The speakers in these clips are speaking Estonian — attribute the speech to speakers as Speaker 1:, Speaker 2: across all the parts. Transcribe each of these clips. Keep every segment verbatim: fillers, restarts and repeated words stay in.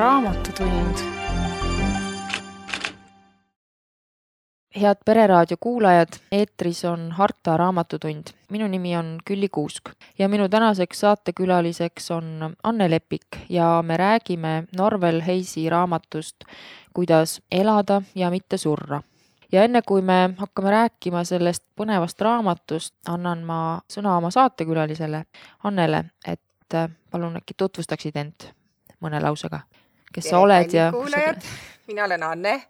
Speaker 1: Raamatutund. Head Pereraadio kuulajad, eetris on Harta Raamatutund. Minu nimi on Külli Kuusk ja minu tänaseks saatekülaliseks on Anne Lepik ja me räägime Norvel Heisi raamatust Kuidas elada ja mitte surra. Ja enne kui me hakkame rääkima sellest põnevast raamatust, annan ma sõna oma saatekülalisele Annele, et palun äkki tutvustaksid end mõne lausega. Kes sa oled ja...
Speaker 2: Kuulajad, mina olen Anne.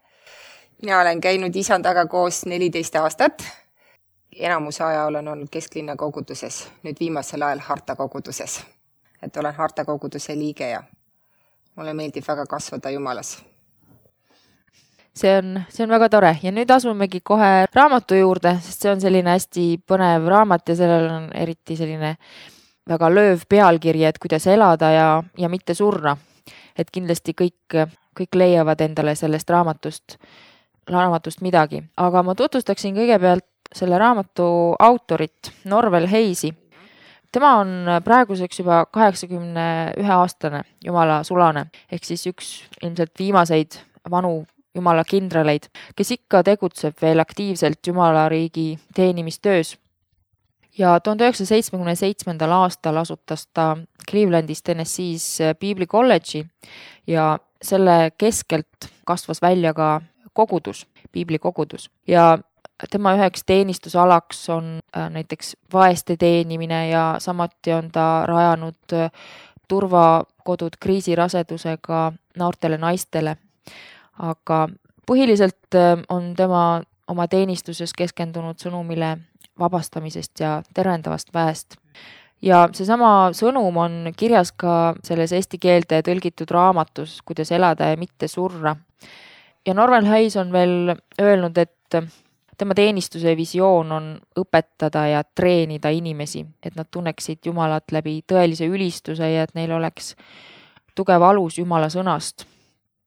Speaker 2: Mina olen käinud isandaga koos neliteist aastat. Enamuse aja olen olnud kesklinna koguduses, nüüd viimasel ajal Harta koguduses. Et olen Harta koguduse liige ja mulle meeldib väga kasvada Jumalas.
Speaker 1: See on, see on väga tore ja nüüd asumegi kohe raamatu juurde, sest see on selline hästi põnev raamat ja sellel on eriti selline väga lööv pealkiri, et kuidas elada ja, ja mitte surra. Et kindlasti kõik, kõik leiavad endale sellest raamatust, raamatust midagi. Aga ma tutvustaksin kõigepealt selle raamatu autorit, Norvel Heisi. Tema on praeguseks juba kaheksakümne ühe aastane Jumala sulane, ehk siis üks ilmselt viimaseid vanu Jumala kindraleid, kes ikka tegutseb veel aktiivselt Jumala riigi teenimistöös. Ja tuhande üheksasaja seitsmekümne seitsmendal aastal asutas ta Clevelandis Tennessee's Biibli kolledži ja selle keskelt kasvas välja ka kogudus, Biibli kogudus. Ja tema üheks teenistusalaks on näiteks vaeste teenimine ja samuti on ta rajanud turvakodud kriisirasedusega noortele naistele. Aga põhiliselt on tema oma teenistuses keskendunud sõnumile vabastamisest ja terendavast väest. Ja seesama sõnum on kirjas ka selles eesti keelde tõlgitud raamatus, kuidas elada ja mitte surra. Ja Norvel Heis on veel öelnud, et tema teenistuse visioon on õpetada ja treenida inimesi, et nad tunneksid Jumalat läbi tõelise ülistuse ja et neil oleks tugev alus Jumala sõnast.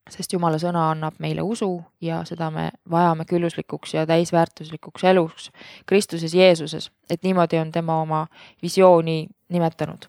Speaker 1: Sest Jumala sõna annab meile usu ja seda me vajame külluslikuks ja täisväärtuslikuks eluks Kristuses Jeesuses, et niimoodi on tema oma visiooni nimetanud.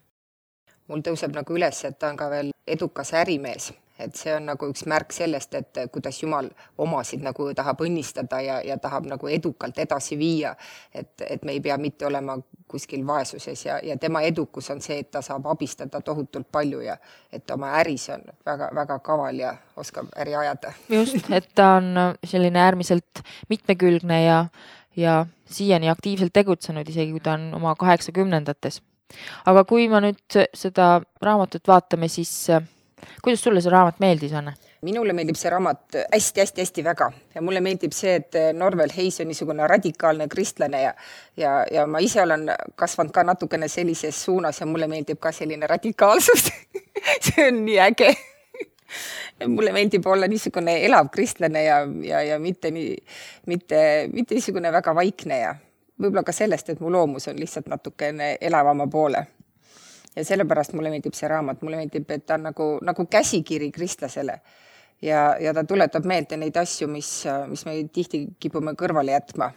Speaker 2: Mul tõuseb nagu üles, et ta on ka veel edukas ärimees, et see on nagu üks märk sellest, et kuidas Jumal omasid nagu tahab õnnistada ja, ja tahab nagu edukalt edasi viia, et, et me ei pea mitte olema kuskil vaesuses ja, ja tema edukus on see, et ta saab abistada tohutult palju ja et oma äris on väga, väga kaval ja oskab äri ajada.
Speaker 1: Just, et ta on selline äärmiselt mitmekülgne ja, ja siiani aktiivselt tegutsenud, isegi kui ta on oma kaheksakümnendates. Aga kui ma nüüd seda raamatut vaatame, siis kuidas sulle see raamat meeldis, Anne?
Speaker 2: Minule meeldib see raamat hästi-hästi-hästi väga ja mulle meeldib see, et Norvel Heis on niisugune radikaalne kristlane ja, ja, ja ma ise olen kasvanud ka natukene sellises suunas ja mulle meeldib ka selline radikaalsus. See on nii äge. Mulle meeldib olla niisugune elav kristlane ja, ja, ja mitte, nii, mitte, mitte niisugune väga vaikne ja võib-olla ka sellest, et mu loomus on lihtsalt natukene elavama poole. Ja sellepärast mulle meeldib see raamat. Mulle meeldib, et ta on nagu, nagu käsikiri kristlasele. Ja, ja ta tuletab meelde neid asju, mis, mis me tihti kipume kõrvale jätma.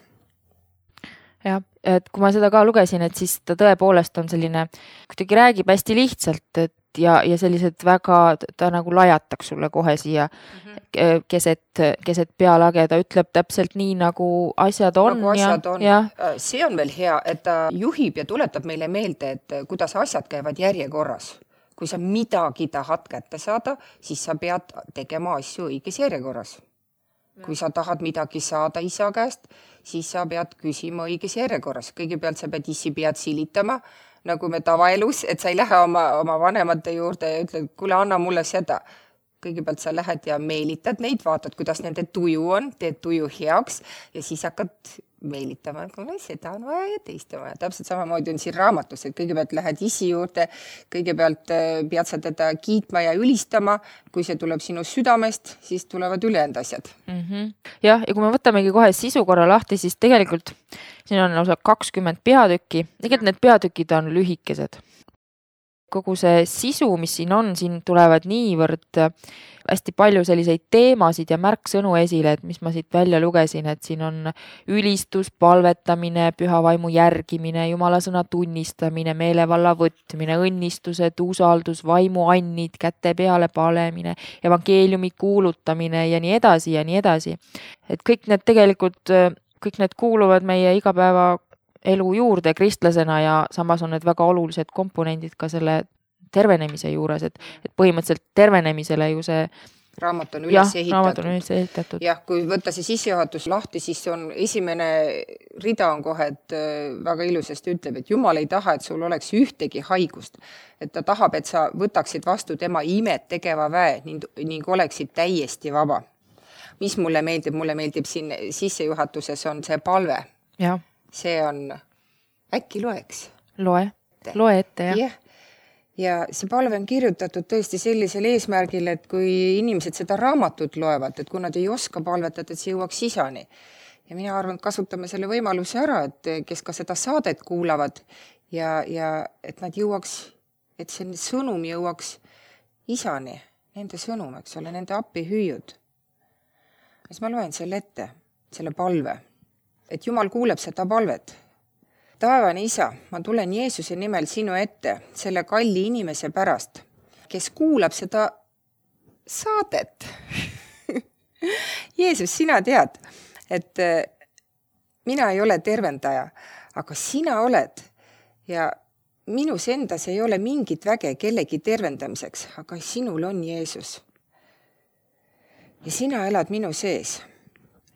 Speaker 1: Ja, et kui ma seda ka lugesin, et siis ta tõepoolest on selline, kuidagi räägib hästi lihtsalt, et ja, ja sellised väga, ta nagu lajataks sulle kohe siia mm-hmm. keset, keset pealage, ta ütleb täpselt nii, nagu asjad on.
Speaker 2: Nagu asjad
Speaker 1: ja,
Speaker 2: on.
Speaker 1: Ja.
Speaker 2: See on veel hea, et ta juhib ja tuletab meile meelde, et kuidas asjad käivad järjekorras. Kui sa midagi tahad kätte saada, siis sa pead tegema asju õiges järjekorras. Kui sa tahad midagi saada isa käest, siis sa pead küsima õiges järjekorras. Kõigepealt sa pead issi pead silitama, nagu me tavaelus, et sa ei lähe oma, oma vanemate juurde ja ütled, kuule, anna mulle seda. Kõigepealt sa lähed ja meelitad neid, vaatad, kuidas nende tuju on, teed tuju heaks ja siis hakkad meelitama, kuule, seda on vaja ja teist on vaja. Täpselt samamoodi on siin raamatus, et kõigepealt lähed isi juurde, kõigepealt pead sa teda kiitma ja ülistama. Kui see tuleb sinu südamest, siis tulevad ülejäänud asjad.
Speaker 1: Mm-hmm. Jah, ja kui me võtamegi kohe sisu korra lahti, siis tegelikult siin on lausa kakskümmend peatükki. Tegelikult need peatükid on lühikesed. kogu see sisu, mis siin on, siin tulevad niivõrd hästi palju selliseid teemasid ja märksõnu esile, et mis ma siit välja lugesin, et siin on ülistus, palvetamine, püha vaimu järgimine, jumala sõna tunnistamine, meelevalla võtmine, õnnistused, usaldus, vaimu annid, käte peale palemine, evangeeliumi kuulutamine ja nii edasi ja nii edasi. Et kõik need tegelikult, kõik need kuuluvad meie igapäeva elu juurde kristlasena ja samas on need väga olulised komponendid ka selle tervenemise juures, et, et põhimõtteliselt tervenemisele ju see
Speaker 2: raamat on
Speaker 1: jah,
Speaker 2: üles ehitatud.
Speaker 1: Raamat on üles ehitatud.
Speaker 2: Jah, kui võtta see sissejuhatus lahti, siis on esimene rida on kohe, et väga ilusasti ütleb, et Jumal ei taha, et sul oleks ühtegi haigust. Et ta tahab, et sa võtaksid vastu tema imet tegeva väe ning, ning oleksid täiesti vaba. Mis mulle meeldib? Mulle meeldib siin sissejuhatuses on see palve.
Speaker 1: Ja.
Speaker 2: See on, äkki loeks?
Speaker 1: Loe, loe ette, jah.
Speaker 2: jah. Ja see palve on kirjutatud tõesti sellisel eesmärgil, et kui inimesed seda raamatut loevad, et kui nad ei oska palvetada, et see jõuaks isani. Ja mina arvan, et kasutame selle võimaluse ära, et kes ka seda saadet kuulavad ja, ja et nad jõuaks, et see sõnum jõuaks isani, nende sõnum, eks ole, nende appi hüüud. Siis ma loen selle ette, selle palve, et Jumal kuuleb seda palvet. Taevane isa, ma tulen Jeesuse nimel sinu ette, selle kalli inimese pärast, kes kuulab seda saadet. Jeesus, sina tead, et mina ei ole tervendaja, aga sina oled ja minus endas ei ole mingit väge kellegi tervendamiseks, aga sinul on Jeesus. Ja sina elad minu sees.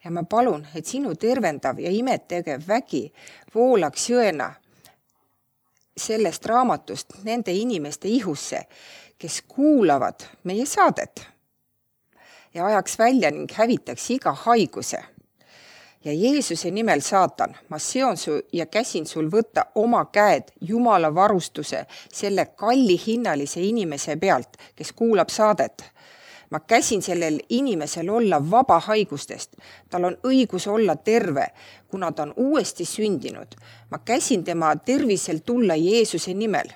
Speaker 2: Ja ma palun, et sinu tervendav ja imet tegev vägi voolaks jõena sellest raamatust nende inimeste ihusse, kes kuulavad meie saadet ja ajaks välja ning hävitaks iga haiguse. Ja Jeesuse nimel, saatan, ma seon su ja käsin sul võtta oma käed Jumala varustuse selle kalli hinnalise inimese pealt, kes kuulab saadet. Ma käsin sellel inimesel olla vaba haigustest. Tal on õigus olla terve, kuna ta on uuesti sündinud. Ma käsin tema tervisel tulla Jeesuse nimel.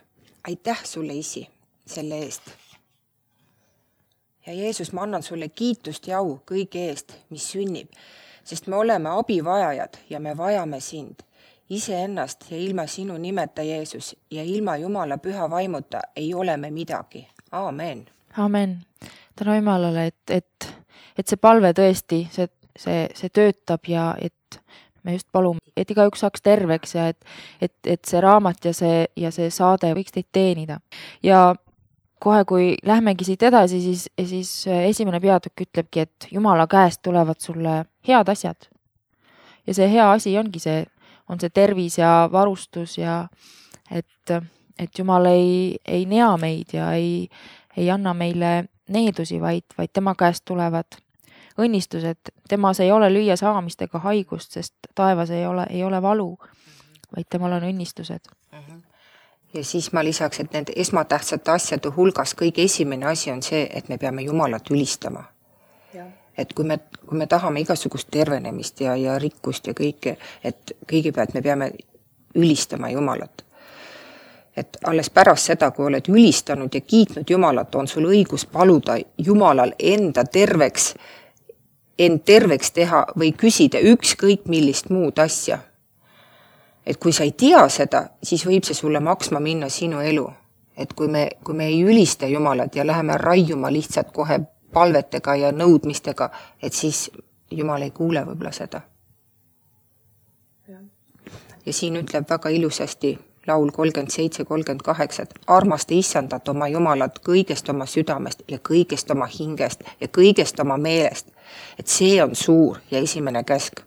Speaker 2: Aitäh sulle, isi, selle eest. Ja Jeesus, ma annan sulle kiitust ja au kõige eest, mis sünnib, sest me oleme abivajajad ja me vajame sind. Ise ennast ja ilma sinu nimeta, Jeesus, ja ilma Jumala püha vaimuta ei ole me midagi. Aamen.
Speaker 1: Amen. Tänu Jumalale, et, et, et see palve tõesti, see, see, see töötab ja et me just palume, et igaüks saaks terveks ja et, et, et see raamat ja see, ja see saade võiks teid teenida. Ja kohe, kui lähmegi siit edasi, siis, siis esimene peatükk ütlebki, et Jumala käest tulevad sulle head asjad. Ja see hea asi ongi see, on see tervis ja varustus ja et, et Jumal ei, ei nea meid ja ei, ei anna meile needusi, vaid, vaid tema käest tulevad õnnistused. Temas ei ole lüüa saamist ega haigust, sest taevas ei ole, ei ole valu, vaid temal on õnnistused.
Speaker 2: Ja siis ma lisaks, et need esmatähtsate asjade hulgas kõige esimene asi on see, et me peame Jumalat ülistama. Ja. Et kui me, kui me tahame igasugust tervenemist ja, ja rikkust ja kõike, et kõigepealt me peame ülistama Jumalat. Et alles pärast seda, kui oled ülistanud ja kiitnud Jumalat, on sul õigus paluda Jumalal enda terveks, end terveks teha või küsida ükskõik millist muud asja. Et kui sa ei tea seda, siis võib see sulle maksma minna sinu elu. Et kui me, kui me ei ülista Jumalat ja läheme raiuma lihtsalt kohe palvetega ja nõudmistega, et siis Jumal ei kuule võib-olla seda. Ja, ja siin ütleb väga ilusasti laul kolmkümmend seitse kolmkümmend kaheksa, et armasta issandat oma Jumalat kõigest oma südamest ja kõigest oma hingest ja kõigest oma meelest. Et see on suur ja esimene käsk.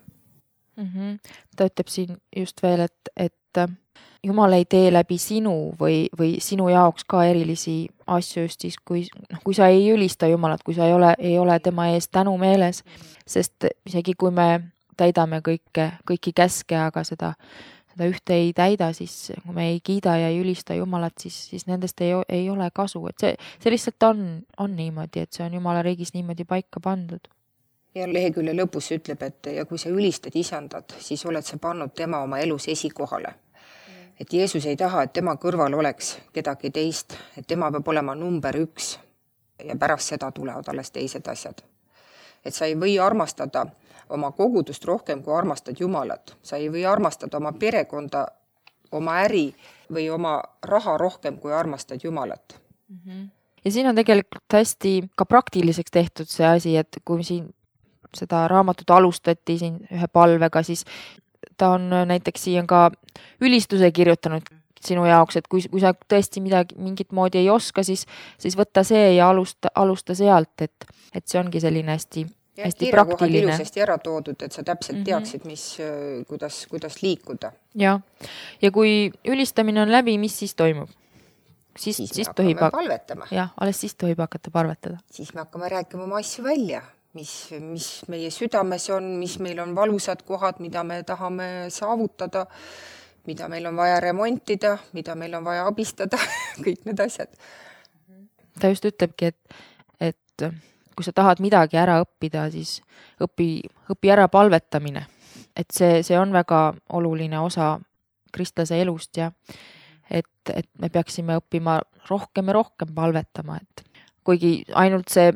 Speaker 1: Mm-hmm. Ta ütleb siin just veel, et, et Jumal ei tee läbi sinu või, või sinu jaoks ka erilisi asju just siis, kui, kui sa ei ülista Jumalat, kui sa ei ole, ei ole tema ees tänu meeles, sest isegi kui me täidame kõike, kõiki käske, aga seda seda ühte ei täida, siis kui me ei kiida ja ei ülista Jumalat, siis, siis nendest ei, ei ole kasu. Et see, see lihtsalt on, on niimoodi, et see on Jumala riigis niimoodi paika pandud.
Speaker 2: Ja lehekülje lõpus ütleb, et ja kui sa ülistad isandat, siis oled sa pannud tema oma elus esikohale. Mm. et Jeesus ei taha, et tema kõrval oleks kedagi teist, et tema peab olema number üks ja pärast seda tulevad alles teised asjad. Et sa ei või armastada oma kogudust rohkem, kui armastad Jumalat. Sa ei või armastada oma perekonda, oma äri või oma raha rohkem, kui armastad Jumalat.
Speaker 1: Mm-hmm. Ja siin on tegelikult hästi ka praktiliseks tehtud see asi, et kui siin seda raamatut alustati siin ühe palvega, siis ta on näiteks siin ka ülistuse kirjutanud sinu jaoks, et kui, kui sa tõesti midagi mingit moodi ei oska, siis, siis võtta see ja alusta, alusta sealt, et, et see ongi selline hästi, ja, hästi praktiline.
Speaker 2: Ilusasti ära toodud, et sa täpselt teaksid, mis, kuidas, kuidas liikuda.
Speaker 1: Ja. ja kui ülistamine on läbi, mis siis toimub? Siis,
Speaker 2: siis,
Speaker 1: siis
Speaker 2: me
Speaker 1: tohib
Speaker 2: hakkame palvetama.
Speaker 1: Jah, alles siis tohib hakata palvetada.
Speaker 2: Siis me hakkame rääkima oma asju välja, mis, mis meie südames on, mis meil on valusad kohad, mida me tahame saavutada, mida meil on vaja remontida, mida meil on vaja abistada, kõik need asjad.
Speaker 1: Ta just ütlebki, et, et kui sa tahad midagi ära õppida, siis õpi, õpi ära palvetamine. Et see, see on väga oluline osa kristlase elust ja et, et me peaksime õppima rohkem ja rohkem palvetama. Et kuigi ainult see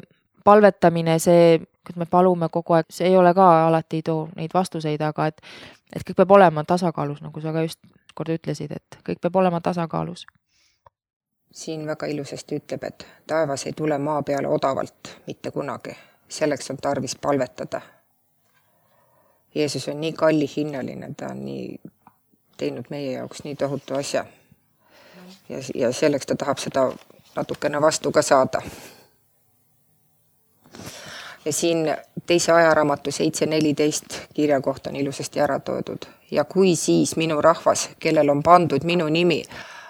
Speaker 1: palvetamine, see, kui me palume kogu aeg, see ei ole ka alati ei too neid vastuseid, aga et, et kõik peab olema tasakaalus, nagu sa ka just kord ütlesid, et kõik peab olema tasakaalus.
Speaker 2: Siin väga ilusasti ütleb, et taevas ei tule maa peale odavalt mitte kunagi. Selleks on tarvis palvetada. Jeesus on nii kalli hinnaline, ta on nii teinud meie jaoks nii tohutu asja. Ja, ja selleks ta tahab seda natukene vastu ka saada. Ja siin teise ajaraamatu seitse neliteist kirja kohta on ilusasti ära toodud. Ja kui siis minu rahvas, kellel on pandud minu nimi,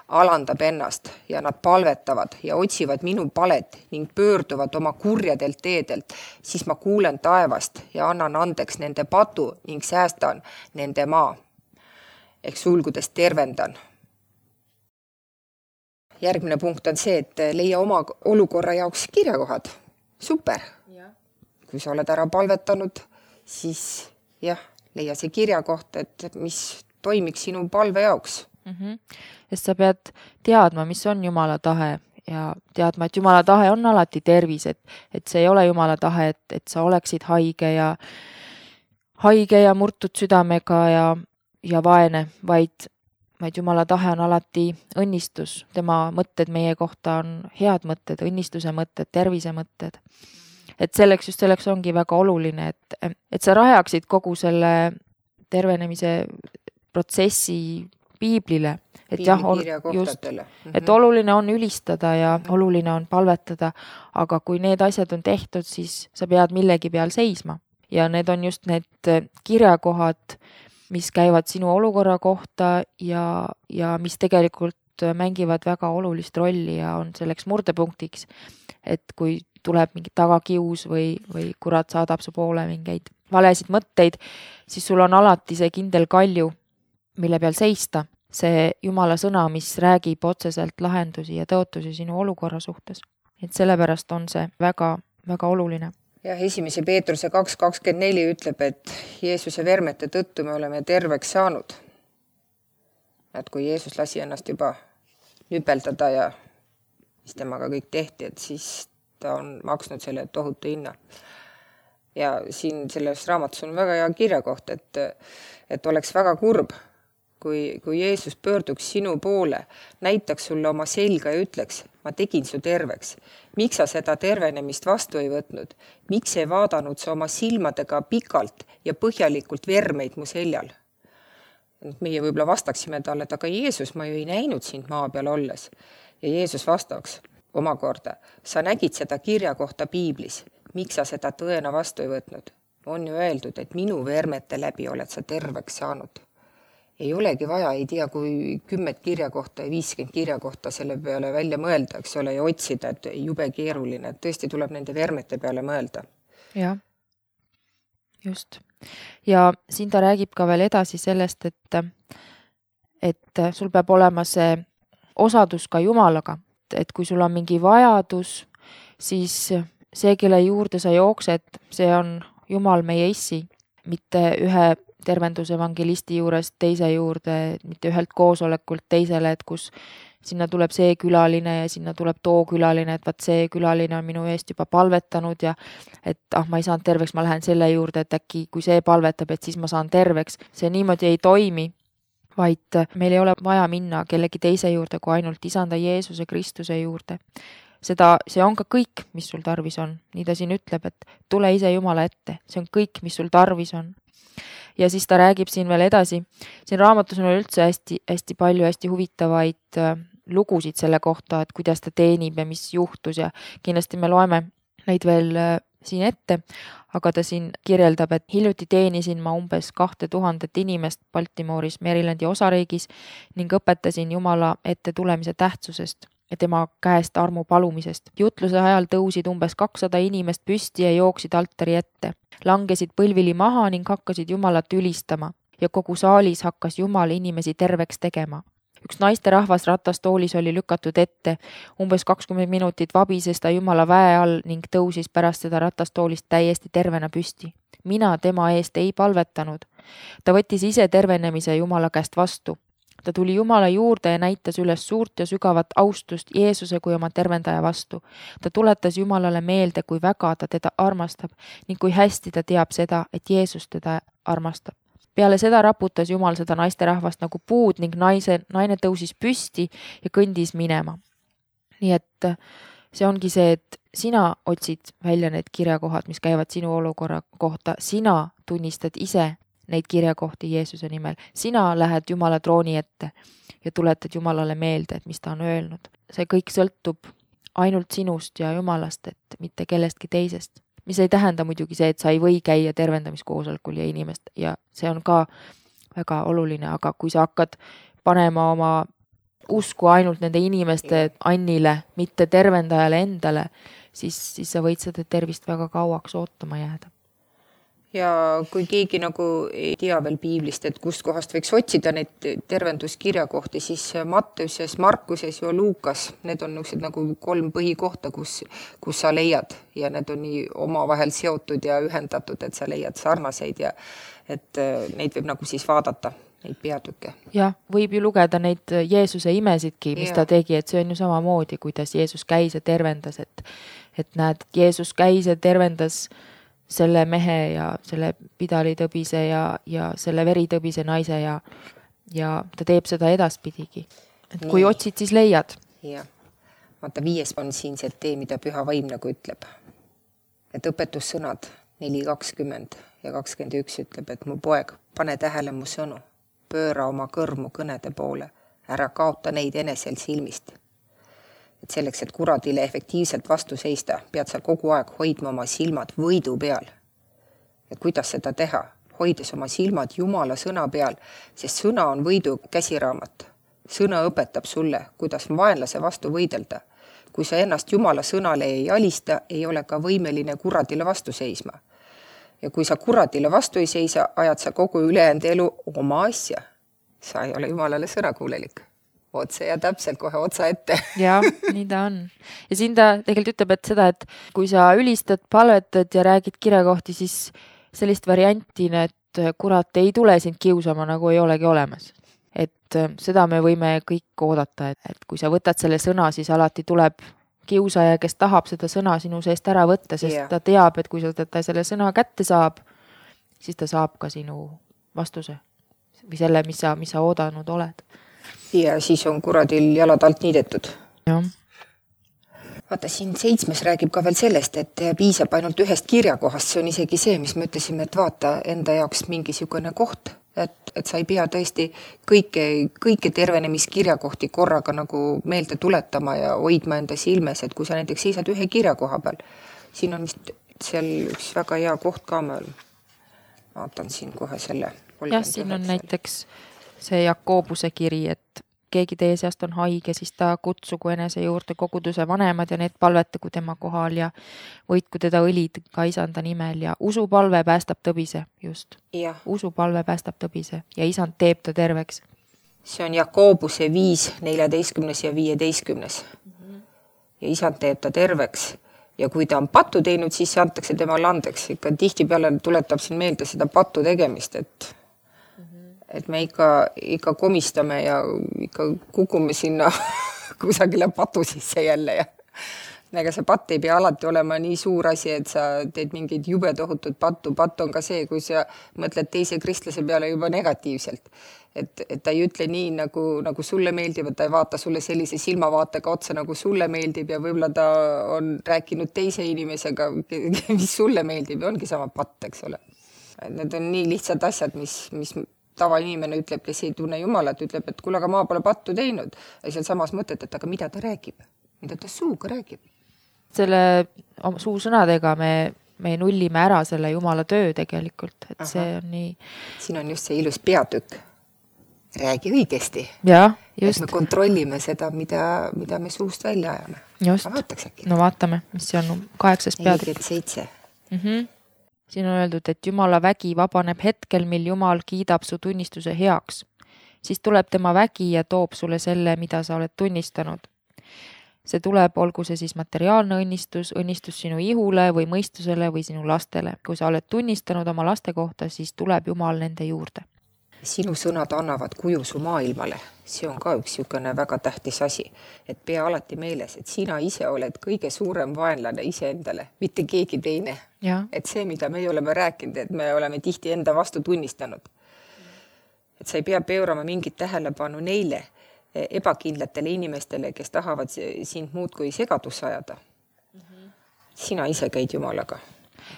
Speaker 2: alandab ennast ja nad palvetavad ja otsivad minu palet ning pöörduvad oma kurjadelt teedelt, siis ma kuulen taevast ja annan andeks nende patu ning säästan nende maa. Ehk sulgudes tervendan. Järgmine punkt on see, et leia oma olukorra jaoks kirjakohad. Super! Ja. Kui sa oled ära palvetanud, siis jah, leia see kirjakoht, et mis toimiks sinu palve jaoks.
Speaker 1: Mm-hmm. Sest sa pead teadma, mis on Jumala tahe ja teadma, et Jumala tahe on alati tervis, et, et see ei ole Jumala tahe, et, et sa oleksid haige ja, haige ja murtud südamega ja, ja vaene, vaid vaid Jumala tahe on alati õnnistus. Tema mõtted meie kohta on head mõtted, õnnistuse mõtted, tervise mõtted. Et selleks just selleks ongi väga oluline, et, et sa rajaksid kogu selle tervenemise protsessi piiblile. Et jah, just, et oluline on ülistada ja oluline on palvetada, aga kui need asjad on tehtud, siis sa pead millegi peal seisma. Ja need on just need kirjakohad, mis käivad sinu olukorra kohta ja, ja mis tegelikult mängivad väga olulist rolli ja on selleks murdepunktiks, et kui tuleb mingi tagakius või, või kurat saadab su poole mingeid valesid mõtteid, siis sul on alati see kindel kalju, mille peal seista, see Jumala sõna, mis räägib otseselt lahendusi ja tõotusi sinu olukorra suhtes. Et sellepärast on see väga, väga oluline.
Speaker 2: Ja esimese Peetruse kaks kakskümmend neli ütleb, et Jeesuse vermete tõttu me oleme terveks saanud. Et kui Jeesus lasi ennast juba nüpeldada ja mis temaga kõik tehti, et siis ta on maksnud selle tohutu hinna. Ja siin selles raamatus on väga hea kirjakoht, et, et oleks väga kurb, kui, kui Jeesus pöörduks sinu poole, näitaks sulle oma selga ja ütleks, ma tegin su terveks. Miks sa seda tervenemist vastu ei võtnud? Miks ei vaadanud sa oma silmadega pikalt ja põhjalikult vermeid mu seljal? Meie võib-olla vastaksime talle, et aga Jeesus, ma ju ei näinud sind maa peal olles. Ja Jeesus vastaks omakorda, sa nägid seda kirja kohta piiblis. Miks sa seda tõena vastu ei võtnud? On ju öeldud, et minu vermete läbi oled sa terveks saanud. Ei olegi vaja, ei tea, kui kümmet kirja kohta ja viiskümmend kirja kohta selle peale välja mõelda, eks ole, ja otsida, et jube keeruline, et tõesti tuleb nende vermete peale mõelda.
Speaker 1: Jah, just. Ja siin ta räägib ka veel edasi sellest, et, et sul peab olema see osadus ka Jumalaga. Et kui sul on mingi vajadus, siis see, kelle juurde sa jooksed, see on Jumal meie issi, mitte ühe tervendusevangelisti juurest teise juurde, mitte ühelt koosolekult teisele, et kus sinna tuleb see külaline ja sinna tuleb too külaline, et vaat see külaline on minu eest juba palvetanud ja et ah, ma ei saanud terveks, ma lähen selle juurde, et äkki kui see palvetab, et siis ma saan terveks. See niimoodi ei toimi, vaid meil ei ole vaja minna kellegi teise juurde kui ainult Isanda Jeesuse Kristuse juurde. Seda, see on ka kõik, mis sul tarvis on. Nii ta siin ütleb, et tule ise Jumala ette. See on kõik, mis sul tarvis on. Ja siis ta räägib siin veel edasi. Siin raamatus on üldse hästi, hästi palju hästi huvitavaid lugusid selle kohta, et kuidas ta teenib ja mis juhtus ja kindlasti me loeme neid veel siin ette, aga ta siin kirjeldab, et hiljuti teenisin ma umbes kahte tuhandet inimest Baltimooris, Marylandi osariigis ning õpetasin Jumala ette tulemise tähtsusest ja tema käest armu palumisest. Jutluse ajal tõusid umbes kakssada inimest püsti ja jooksid altari ette, langesid põlvili maha ning hakkasid Jumalat ülistama ja kogu saalis hakkas Jumal inimesi terveks tegema. Üks naiste rahvas ratastoolis oli lükatud ette, umbes kakskümmend minutit vabises ta Jumala väe all ning tõusis pärast seda ratastoolist täiesti tervena püsti. Mina tema eest ei palvetanud. Ta võttis ise tervenemise Jumala käest vastu. Ta tuli Jumala juurde ja näitas üles suurt ja sügavat austust Jeesuse kui oma tervendaja vastu. Ta tuletas Jumalale meelde, kui väga ta teda armastab ning kui hästi ta teab seda, et Jeesus teda armastab. Peale seda raputas Jumal seda naisterahvast nagu puud ning naise, naine tõusis püsti ja kõndis minema. Nii et see ongi see, et sina otsid välja need kirjakohad, mis käivad sinu olukorra kohta. Sina tunnistad ise neid kirjakohti Jeesuse nimel. Sina lähed Jumala trooni ette ja tuletad Jumalale meelde, et mis ta on öelnud. See kõik sõltub ainult sinust ja Jumalast, et mitte kellestki teisest. Mis ei tähenda muidugi see, et sa ei või käia tervendamiskoosolekul ja inimest ja see on ka väga oluline, aga kui sa hakkad panema oma usku ainult nende inimeste annile, mitte tervendajale endale, siis, siis sa võid seda tervist väga kauaks ootama jääda.
Speaker 2: Ja kui keegi nagu ei tea veel piiblist, et kust kohast võiks otsida neid tervenduskirjakohti, siis Matteuses, Markuses ja Luukas, need on nagu kolm põhikohta, kus, kus sa leiad ja need on nii omavahel seotud ja ühendatud, et sa leiad sarnaseid ja et neid võib nagu siis vaadata, neid peatükke.
Speaker 1: Jah, võib ju lugeda neid Jeesuse imesidki, mis ja. Ta tegi, et see on ju samamoodi, kuidas Jeesus käis ja tervendas, et, et näed, Jeesus käis ja tervendas selle mehe ja selle pidalitõbise ja, ja selle veritõbise naise ja, ja ta teeb seda edaspidigi. Et kui Nii. Otsid, siis leiad.
Speaker 2: Jah. Vaata, viies on siin see tee, mida Püha Vaim nagu ütleb. Et õpetussõnad neli kakskümmend ja kakskümmend üks ütleb, et mu poeg, pane tähele mu sõnu, pööra oma kõrmu kõnede poole, ära kaota neid enesel silmist. Et selleks, et kuradile efektiivselt vastu seista, pead sa kogu aeg hoidma oma silmad võidu peal. Ja kuidas seda teha? Hoides oma silmad Jumala sõna peal, sest sõna on võidu käsiraamat. Sõna õpetab sulle, kuidas vaenlase vastu võidelda. Kui sa ennast Jumala sõnale ei alista, ei ole ka võimeline kuradile vastu seisma. Ja kui sa kuradile vastu ei seisa, ajad sa kogu ülejäänud elu oma asja. Sa ei ole Jumalale sõnakuulelik. Otse ja täpselt kohe otsa ette.
Speaker 1: Jah, nii ta on. Ja siin ta tegelikult ütleb, et seda, et kui sa ülistad, palvetad ja räägid kirjakohti, siis sellist varianti, et kurat ei tule sind kiusama, nagu ei olegi olemas. Et seda me võime kõik oodata, et, et kui sa võtad selle sõna, siis alati tuleb kiusaja, kes tahab seda sõna sinu seest ära võtta, sest yeah. ta teab, et kui sa ta selle sõna kätte saab, siis ta saab ka sinu vastuse või selle, mis sa, mis sa oodanud oled.
Speaker 2: Ja siis on kuradil jalad alt niidetud.
Speaker 1: Ja.
Speaker 2: Vaata, siin seitsmes räägib ka veel sellest, et piisab ainult ühest kirjakohast. See on isegi see, mis me ütlesime, et vaata enda jaoks mingisugune koht. Et, et sa ei pea tõesti kõike, kõike tervenemiskirjakohti korraga nagu meelde tuletama ja hoidma enda silmes. Et kui sa näiteks seisad ühe kirjakoha peal, siin on vist seal üks väga hea koht ka meil. Vaatan siin kohe selle.
Speaker 1: Jah, siin on näiteks see Jakobuse kiri, et keegi teie seast on haige, siis ta kutsugu enese juurde koguduse vanemad ja need palvetagu tema kohal ja võitku teda õlid ka Isanda nimel ja usupalve päästab tõbise, just.
Speaker 2: Ja.
Speaker 1: Usupalve päästab tõbise ja Isand teeb ta terveks.
Speaker 2: See on Jakobuse viis, neljateistkümnes ja viieteistkümnes. Mm-hmm. Ja Isand teeb ta terveks. Ja kui ta on pattu teinud, siis antakse temale andeks. Ikka tihti peale tuletab siin meelde seda pattu tegemist, et et me ikka, ikka komistame ja ikka kukume sinna kusagile patu sisse jälle ja ega see patt ei pea alati olema nii suur asi, et sa teed mingeid jube tohutut pattu. Patt on ka see, kui sa mõtled teise kristlase peale juba negatiivselt. Et, et ta ei ütle nii, nagu, nagu sulle meeldib, et ta ei vaata sulle sellise silmavaatega otsa, nagu sulle meeldib ja võib-olla ta on rääkinud teise inimesega, mis sulle meeldib ja ongi sama patt, eks ole. Need on nii lihtsad asjad, mis, mis tavainimene ütleb, kes ei tunne Jumalat, ütleb, et kuule, aga ma pole pattu teinud. Ja seal samas mõtled, et aga mida ta räägib? Mida ta suuga räägib?
Speaker 1: Selle suusõnadega me, me nullime ära selle Jumala töö tegelikult, et Aha. see on nii...
Speaker 2: Siin on just see ilus peatükk. Räägi õigesti.
Speaker 1: Ja, just.
Speaker 2: Et me kontrollime seda, mida, mida me suust välja ajame.
Speaker 1: Just.
Speaker 2: Vaataks äkki.
Speaker 1: No vaatame, mis see on kaheksas peatükk.
Speaker 2: nelikümmend seitse.
Speaker 1: Mm-hmm. Siin on öeldud, et Jumala vägi vabaneb hetkel, mil Jumal kiidab su tunnistuse heaks. Siis tuleb tema vägi ja toob sulle selle, mida sa oled tunnistanud. See tuleb, olgu see siis materiaalne õnnistus, õnnistus sinu ihule või mõistusele või sinu lastele. Kui sa oled tunnistanud oma laste kohta, siis tuleb Jumal nende juurde.
Speaker 2: Sinu sõnad annavad kuju su maailmale. See on ka üks niisugune väga tähtis asi. Et pea alati meeles, et sina ise oled kõige suurem vaenlane iseendale, mitte keegi teine.
Speaker 1: Ja.
Speaker 2: Et see, mida me oleme rääkinud, et me oleme tihti enda vastu tunnistanud. Et sa ei pea pöörama mingit tähelepanu neile, ebakindlatele inimestele, kes tahavad sind muud kui segadus ajada. Sina ise käid Jumalaga.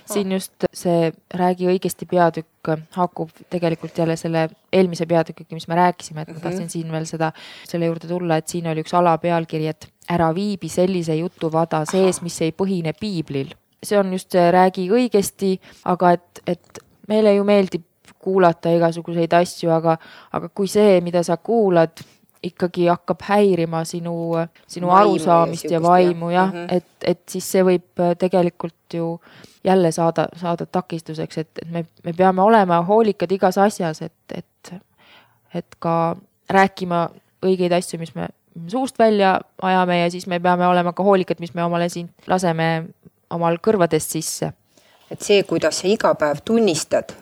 Speaker 1: Siin just see räägi õigesti peatükk haakub tegelikult jälle selle eelmise peatükiga, mis me rääkisime, et ma tahtsin siin veel seda, selle juurde tulla, et siin oli üks alapealkiri, et ära viibi sellise jutuvada sees, mis ei põhine piiblil. See on just see räägi õigesti, aga et, et meile ju meeldib kuulata igasuguseid asju, aga, aga kui see, mida sa kuulad, ikkagi hakkab häirima sinu, sinu vaimu arusaamist ja, ja vaimu, jah, mm -hmm. et, et siis see võib tegelikult ju jälle saada, saada takistuseks, et, et me, me peame olema hoolikad igas asjas, et, et, et ka rääkima õigeid asju, mis me suust välja ajame ja siis me peame olema ka hoolikad, mis me omale siin laseme omal kõrvadest sisse.
Speaker 2: Et see, kuidas sa iga päev tunnistad,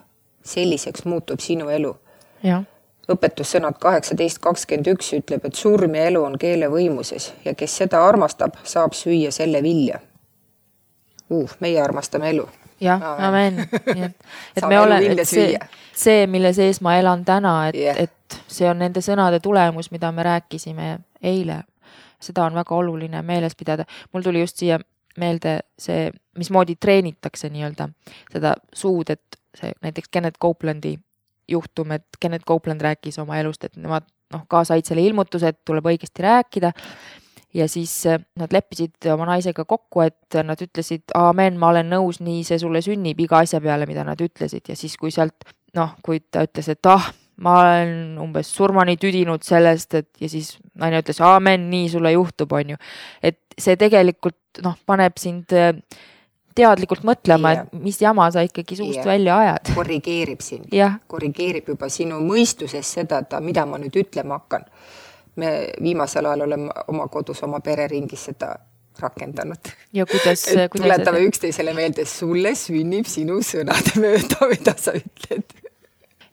Speaker 2: selliseks muutub sinu elu.
Speaker 1: Jah.
Speaker 2: Õpetussõnad kaheksateist kakskümmend üks ütleb, et surm ja elu on keele võimuses ja kes seda armastab, saab süüa selle vilja. Uh, meie armastame elu.
Speaker 1: Jah, amen. Et, et me ole, et see, see, mille sees ma elan täna, et, yeah. et see on nende sõnade tulemus, mida me rääkisime eile. Seda on väga oluline meeles pidada. Mul tuli just siia meelde see, mismoodi treenitakse nii-öelda seda suud, et see näiteks Kenneth Copeland'i juhtum, et Kenneth Copeland rääkis oma elust, et nemad noh, ka said selle ilmutuse, et tuleb õigesti rääkida ja siis nad leppisid oma naisega kokku, et nad ütlesid, aamen, ma olen nõus, nii see sulle sünnib iga asja peale, mida nad ütlesid ja siis kui sealt, noh, kui ta ütles, et ah, ma olen umbes surmani tüdinud sellest, et ja siis naine ütles, aamen, nii sulle juhtub, on ju. Et see tegelikult, noh, paneb sind teadlikult mõtlema, yeah. et mis jama sa ikkagi suust yeah. välja ajad.
Speaker 2: Korrigeerib sind.
Speaker 1: Yeah.
Speaker 2: Korrigeerib juba sinu mõistuses seda, et mida ma nüüd ütlema hakkan. Me viimasel ajal oleme oma kodus, oma pereringis seda rakendanud.
Speaker 1: Ja kuidas,
Speaker 2: et
Speaker 1: kuidas
Speaker 2: tuletame see... üksteisele meelde, sulle sünnib sinu sõnade mööda, mida sa ütled.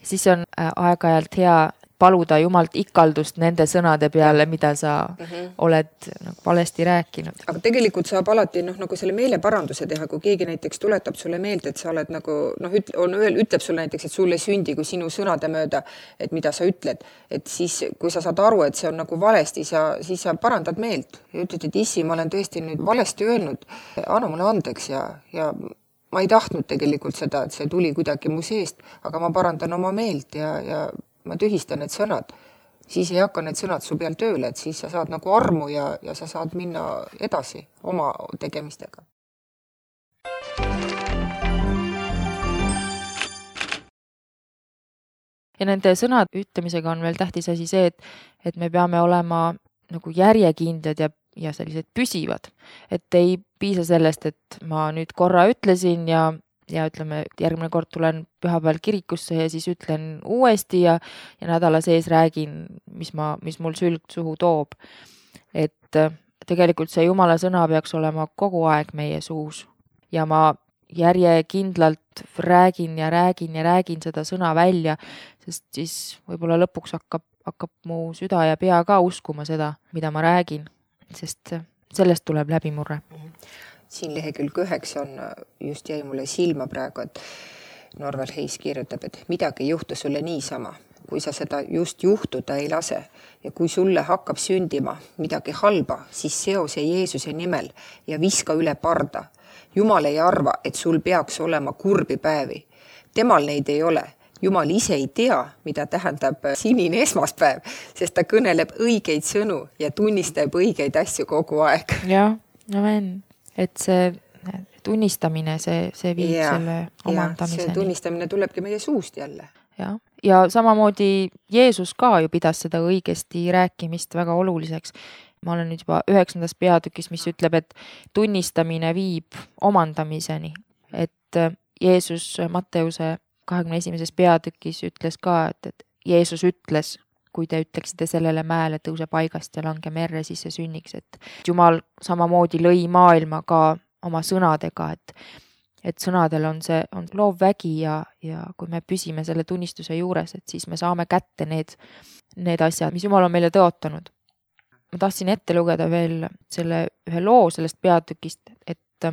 Speaker 1: Siis on aeg-ajalt hea paluda Jumalt ikaldust nende sõnade peale, mida sa mm-hmm. oled nagu, valesti rääkinud.
Speaker 2: Aga tegelikult saab alati noh, nagu selle meeleparanduse teha, kui keegi näiteks tuletab sulle meelde, et sa oled nagu, noh, üt, on, ütleb sulle näiteks, et sulle sündi kui sinu sõnade mööda, et mida sa ütled, et siis, kui sa saad aru, et see on nagu valesti, sa, siis sa parandad meelt ja ütled, et issi, ma olen tõesti nüüd valesti öelnud, anna mulle andeks ja, ja ma ei tahtnud tegelikult seda, et see tuli kuidagi mu seest, aga ma parandan oma meelt ja, ja ma tühistan need sõnad, siis ei hakka need sõnad su peal tööle, et siis sa saad nagu armu ja, ja sa saad minna edasi oma tegemistega.
Speaker 1: Ja nende sõnad ütlemisega on veel tähtis asi see, et, et me peame olema nagu järjekindlad ja, ja sellised püsivad. Et ei piisa sellest, et ma nüüd korra ütlesin ja ja ütleme, järgmine kord tulen pühapäeval kirikusse ja siis ütlen uuesti ja, ja nädala sees räägin, mis, ma, mis mul sülg suhu toob. Et tegelikult see Jumala sõna peaks olema kogu aeg meie suus ja ma järjekindlalt räägin ja räägin ja räägin seda sõna välja, sest siis võib-olla lõpuks hakkab, hakkab mu süda ja pea ka uskuma seda, mida ma räägin, sest sellest tuleb läbimurre.
Speaker 2: Siin lehekülg üheksa on, just jäi mulle silma praegu, et Norvel Heis kirjutab, et midagi ei juhtu sulle niisama, kui sa seda just juhtuda ei lase ja kui sulle hakkab sündima midagi halba, siis seo see Jeesuse nimel ja viska üle parda. Jumal ei arva, et sul peaks olema kurbi päevi. Temal neid ei ole. Jumal ise ei tea, mida tähendab sinine esmaspäev, sest ta kõneleb õigeid sõnu ja tunnistab õigeid asju kogu aeg.
Speaker 1: Jah, amen. Et see tunnistamine, see, see viib ja, selle omandamiseni.
Speaker 2: See tunnistamine tulebki meie suust jälle.
Speaker 1: Ja, ja samamoodi Jeesus ka ju pidas seda õigesti rääkimist väga oluliseks. Ma olen nüüd juba üheksandas peatükis, mis ütleb, et tunnistamine viib omandamiseni. Et Jeesus Matteuse kahekümne esimeses peatükis ütles ka, et, et Jeesus ütles, kui te ütleksite sellele mäele tõuse paigast ja lange merre, siis see sünniks. Et Jumal samamoodi lõi maailma ka oma sõnadega, et, et sõnadel on see on loov vägi ja, ja kui me püsime selle tunnistuse juures, et siis me saame kätte need, need asjad, mis Jumal on meile tõotanud. Ma tahtsin ette lugeda veel selle ühe loo sellest peatükist, et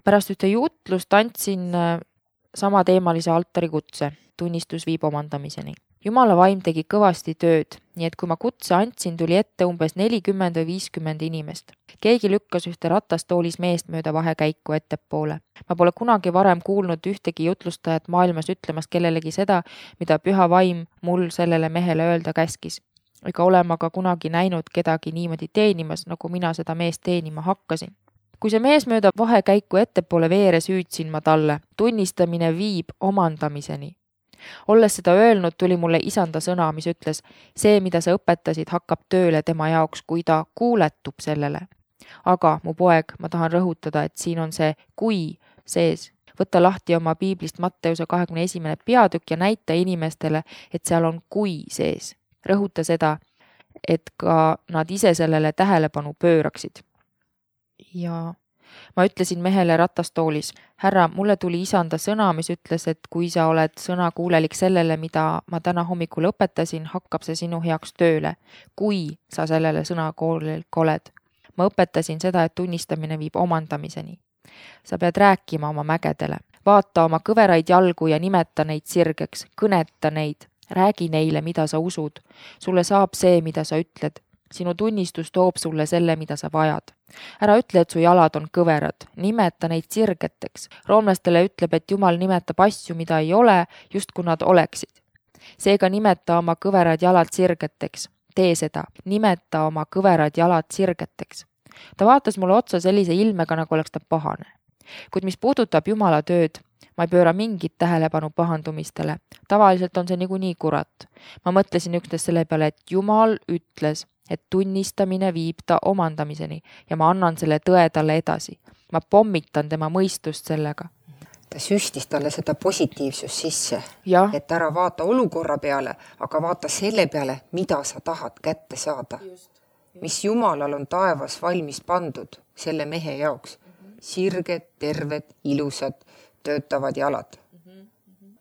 Speaker 1: pärast ühte jutlust andsin sama teemalise altari kutse, tunnistus viib omandamiseni. Jumala vaim tegi kõvasti tööd, nii et kui ma kutse andsin, tuli ette umbes nelikümmend või viiskümmend inimest. Keegi lükkas ühte ratastoolis meest mööda vahekäiku ettepoole. Ma pole kunagi varem kuulnud ühtegi jutlustajat maailmas ütlemas kellelegi seda, mida püha vaim mul sellele mehele öelda käskis. Ega olema ka kunagi näinud kedagi niimoodi teenimas, nagu mina seda meest teenima hakkasin. Kui see mees mööda vahekäiku ettepoole veeres, hüüdsin ma talle. Tunnistamine viib omandamiseni. Olles seda öelnud, tuli mulle isanda sõna, mis ütles, see, mida sa õpetasid, hakkab tööle tema jaoks, kui ta kuuletub sellele. Aga, mu poeg, ma tahan rõhutada, et siin on see kui sees. Võtta lahti oma piiblist Matteuse kahekümne esimene peatükk ja näita inimestele, et seal on kui sees. Rõhuta seda, et ka nad ise sellele tähelepanu pööraksid. Ja ma ütlesin mehele ratastoolis, härra, mulle tuli isanda sõna, mis ütles, et kui sa oled sõna kuulelik sellele, mida ma täna hommikul õpetasin, hakkab see sinu heaks tööle, kui sa sellele sõna kuulelik oled. Ma õpetasin seda, et tunnistamine viib omandamiseni. Sa pead rääkima oma mägedele, vaata oma kõveraid jalgu ja nimeta neid sirgeks, kõneta neid, räägi neile, mida sa usud. Sulle saab see, mida sa ütled. Sinu tunnistus toob sulle selle, mida sa vajad. Ära ütle, et su jalad on kõverad. Nimeta neid sirgeteks. Roomlastele ütleb, et Jumal nimetab asju, mida ei ole, just kui nad oleksid. Seega nimeta oma kõverad jalad sirgeteks. Tee seda. Nimeta oma kõverad jalad sirgeteks. Ta vaatas mulle otsa sellise ilmega, nagu oleks ta pahane. Kuid mis puudutab Jumala tööd, ma ei pööra mingit tähelepanu pahandumistele. Tavaliselt on see niikuinii kurat. Ma mõtlesin üksnes selle peale, et Jumal ütles, et tunnistamine viib ta omandamiseni ja ma annan selle tõe talle edasi. Ma pommitan tema mõistust sellega.
Speaker 2: Ta süstis talle seda positiivsust sisse,
Speaker 1: ja.
Speaker 2: Et ära vaata olukorra peale, aga vaata selle peale, mida sa tahad kätte saada. Just, just. Mis Jumalal on taevas valmis pandud selle mehe jaoks. Sirged, terved, ilusad, töötavad jalad.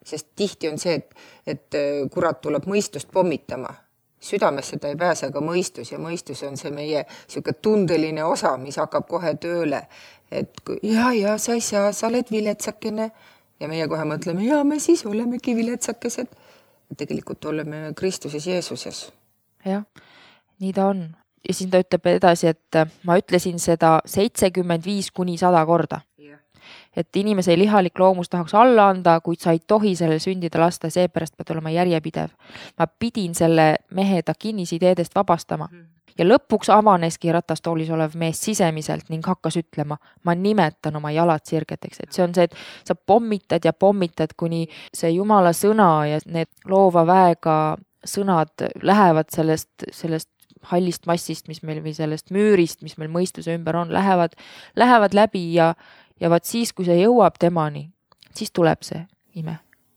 Speaker 2: Sest tihti on see, et, et kurat tuleb mõistust pommitama. Südames seda ei pääse ka mõistus ja mõistus on see meie siuke tundeline osa, mis hakkab kohe tööle, et ja, ja sa ei saa, sa oled viletsakene ja meie kohe mõtleme, ja me siis olemegi viletsakesed. Tegelikult oleme Kristuses Jeesuses.
Speaker 1: Jah, nii ta on. Ja siin ta ütleb edasi, et ma ütlesin seda seitsekümmend viis kuni sada korda. Et inimese lihalik loomus tahaks alla anda, kuid sa ei tohi sellel sündida lasta, seepärast pead olema järjepidev. Ma pidin selle mehe ta kinnisideedest vabastama. Ja lõpuks avaneski ratastoolis olev mees sisemiselt ning hakkas ütlema, ma nimetan oma jalad sirgeteks. Et see on see, et sa pommitad ja pommitad, kuni see Jumala sõna ja need loova väega sõnad lähevad sellest, sellest hallist massist, mis meil või sellest müürist, mis meil mõistuse ümber on, lähevad, lähevad läbi ja Ja vaat siis, kui see jõuab temani, siis tuleb see ime.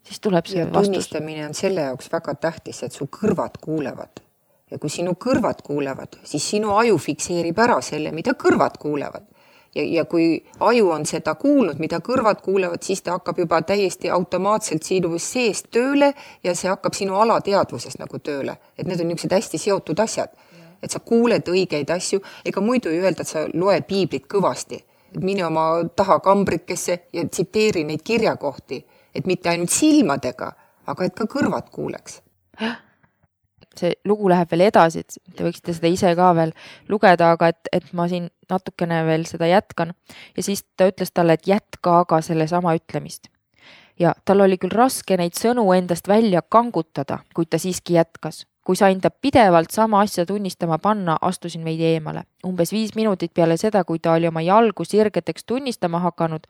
Speaker 1: Siis tuleb see
Speaker 2: ja
Speaker 1: vastus.
Speaker 2: Tunnistamine on selle jaoks väga tähtis, et su kõrvad kuulevad. Ja kui sinu kõrvad kuulevad, siis sinu aju fikseerib ära selle, mida kõrvad kuulevad. ja, ja kui aju on seda kuulnud, mida kõrvad kuulevad, siis ta hakkab juba täiesti automaatselt sinu seest tööle ja see hakkab sinu alateadvuses nagu tööle. Et need on niisugused hästi seotud asjad. Et sa kuuled õigeid asju, ega muidu ei öelda, et sa loe piiblit kõvasti. Et mine oma taha kambrikesse ja tsiteeri neid kirjakohti, et mitte ainult silmadega, aga et ka kõrvad kuuleks.
Speaker 1: See lugu läheb veel edasi, et te võiksite seda ise ka veel lugeda, aga et, et ma siin natukene veel seda jätkan. Ja siis ta ütles talle, et jätka aga selle sama ütlemist. Ja tal oli küll raske neid sõnu endast välja kangutada, kuid ta siiski jätkas. Kui sain ta pidevalt sama asja tunnistama panna, astusin veidi eemale. Umbes viis minutit peale seda, kui ta oli oma jalgu sirgeteks tunnistama hakanud,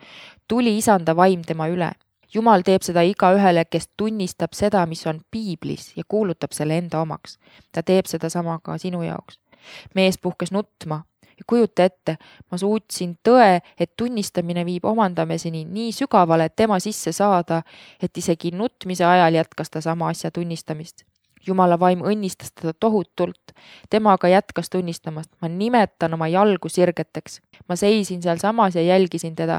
Speaker 1: tuli isanda vaim tema üle. Jumal teeb seda iga ühele, kes tunnistab seda, mis on piiblis ja kuulutab selle enda omaks. Ta teeb seda sama ka sinu jaoks. Mees puhkes nutma ja kujuta ette, ma suutsin tõe, et tunnistamine viib omandamiseni nii sügavale, et tema sisse saada, et isegi nutmise ajal jätkas ta sama asja tunnistamist. Jumala vaim õnnistas teda tohutult. Tema aga jätkas tunnistamast. Ma nimetan oma jalgu sirgeteks. Ma seisin seal samas ja jälgisin teda.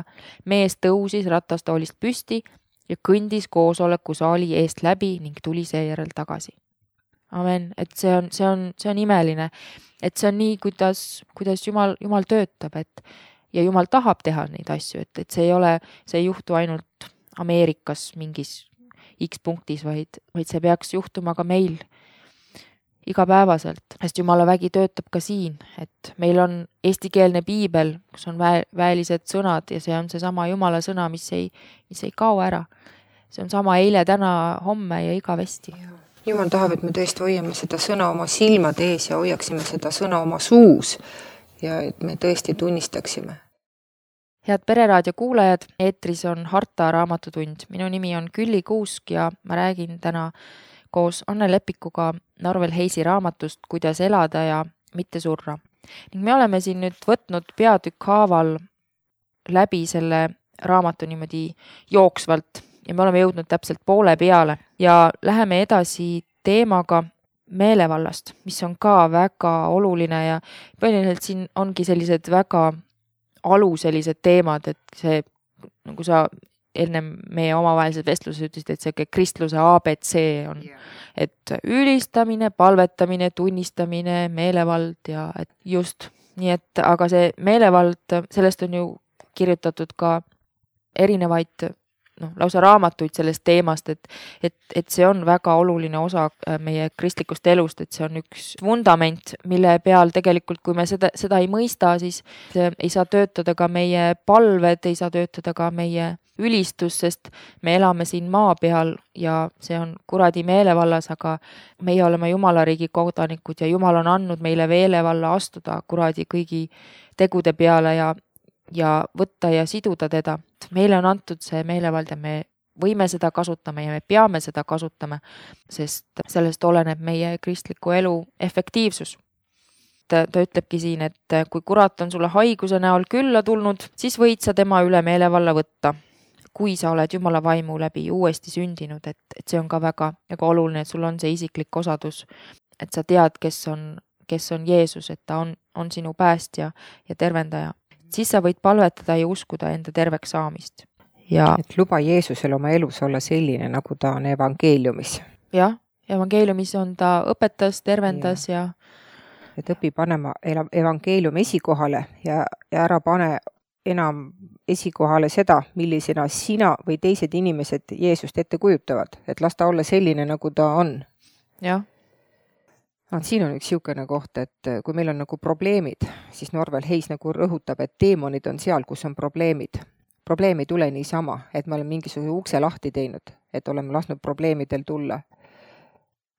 Speaker 1: Mees tõusis ratastoolist püsti ja kõndis koosoleku saali eest läbi ning tuli seejärel tagasi. Amen. Et see on, see on, see on imeline. Et see on nii, kuidas, kuidas Jumal, Jumal töötab. Et, ja Jumal tahab teha neid asju. Et, et see ei ole, see ei juhtu ainult Ameerikas mingis X punktis, vaid, vaid see peaks juhtuma ka meil igapäevaselt, sest Jumala vägi töötab ka siin, et meil on eestikeelne piibel, kus on vä- väelised sõnad ja see on see sama Jumala sõna, mis ei, mis ei kao ära. See on sama eile, täna, homme ja igavesti.
Speaker 2: Jumal tahab, et me tõesti hoiame seda sõna oma silmade ees ja hoiaksime seda sõna oma suus ja et me tõesti tunnistaksime.
Speaker 1: Head Pereraadio kuulajad, eetris on Harta raamatutund. Minu nimi on Külli Kuusk ja ma räägin täna koos Anne Lepikuga Norvel Heisi raamatust Kuidas elada ja mitte surra. Ning me oleme siin nüüd võtnud peatükk haaval läbi selle raamatu niimoodi jooksvalt ja me oleme jõudnud täpselt poole peale ja läheme edasi teemaga meelevallast, mis on ka väga oluline ja põhiliselt siin ongi sellised väga alu sellised teemad, et see, nagu sa enne meie omavahelised vestluses ütlesid, et see kristluse A B C on, et ülistamine, palvetamine, tunnistamine, meelevald ja et just nii, et aga see meelevald, sellest on ju kirjutatud ka erinevaid noh, lausa raamatuid sellest teemast, et, et, et see on väga oluline osa meie kristlikust elust, et see on üks vundament, mille peal tegelikult, kui me seda, seda ei mõista, siis ei saa töötada ka meie palved, ei saa töötada ka meie ülistus, sest me elame siin maa peal ja see on kuradi meelevallas, aga meie oleme Jumalariigi kodanikud ja Jumal on andnud meile meelevalla astuda kuradi kõigi tegude peale ja ja võtta ja siduda teda. Meile on antud see meelevald ja me võime seda kasutama ja me peame seda kasutama, sest sellest oleneb meie kristliku elu efektiivsus. Ta, ta ütlebki siin, et kui kurat on sulle haiguse näol külla tulnud, siis võid sa tema üle meelevalla võtta, kui sa oled Jumala vaimu läbi uuesti sündinud, et, et see on ka väga, väga oluline, et sul on see isiklik osadus, et sa tead, kes on, kes on Jeesus, et ta on, on sinu päästja ja tervendaja. Siis sa võid palvetada ja uskuda enda terveks saamist. Ja,
Speaker 2: et luba Jeesusel oma elus olla selline, nagu ta on evangeeliumis.
Speaker 1: Jah, evangeeliumis on ta õpetas, tervendas ja... ja...
Speaker 2: Et õpi panema evangeelium esikohale ja, ja ära pane enam esikohale seda, millisena sina või teised inimesed Jeesust ette kujutavad. Et las ta olla selline, nagu ta on.
Speaker 1: Jah.
Speaker 2: Siin on üks siukene koht, et kui meil on nagu probleemid, siis Norvel Heis nagu rõhutab, et teemonid on seal, kus on probleemid. Probleem ei tule niisama, et me oleme mingisuguse ukse lahti teinud, et oleme lasknud probleemidel tulla.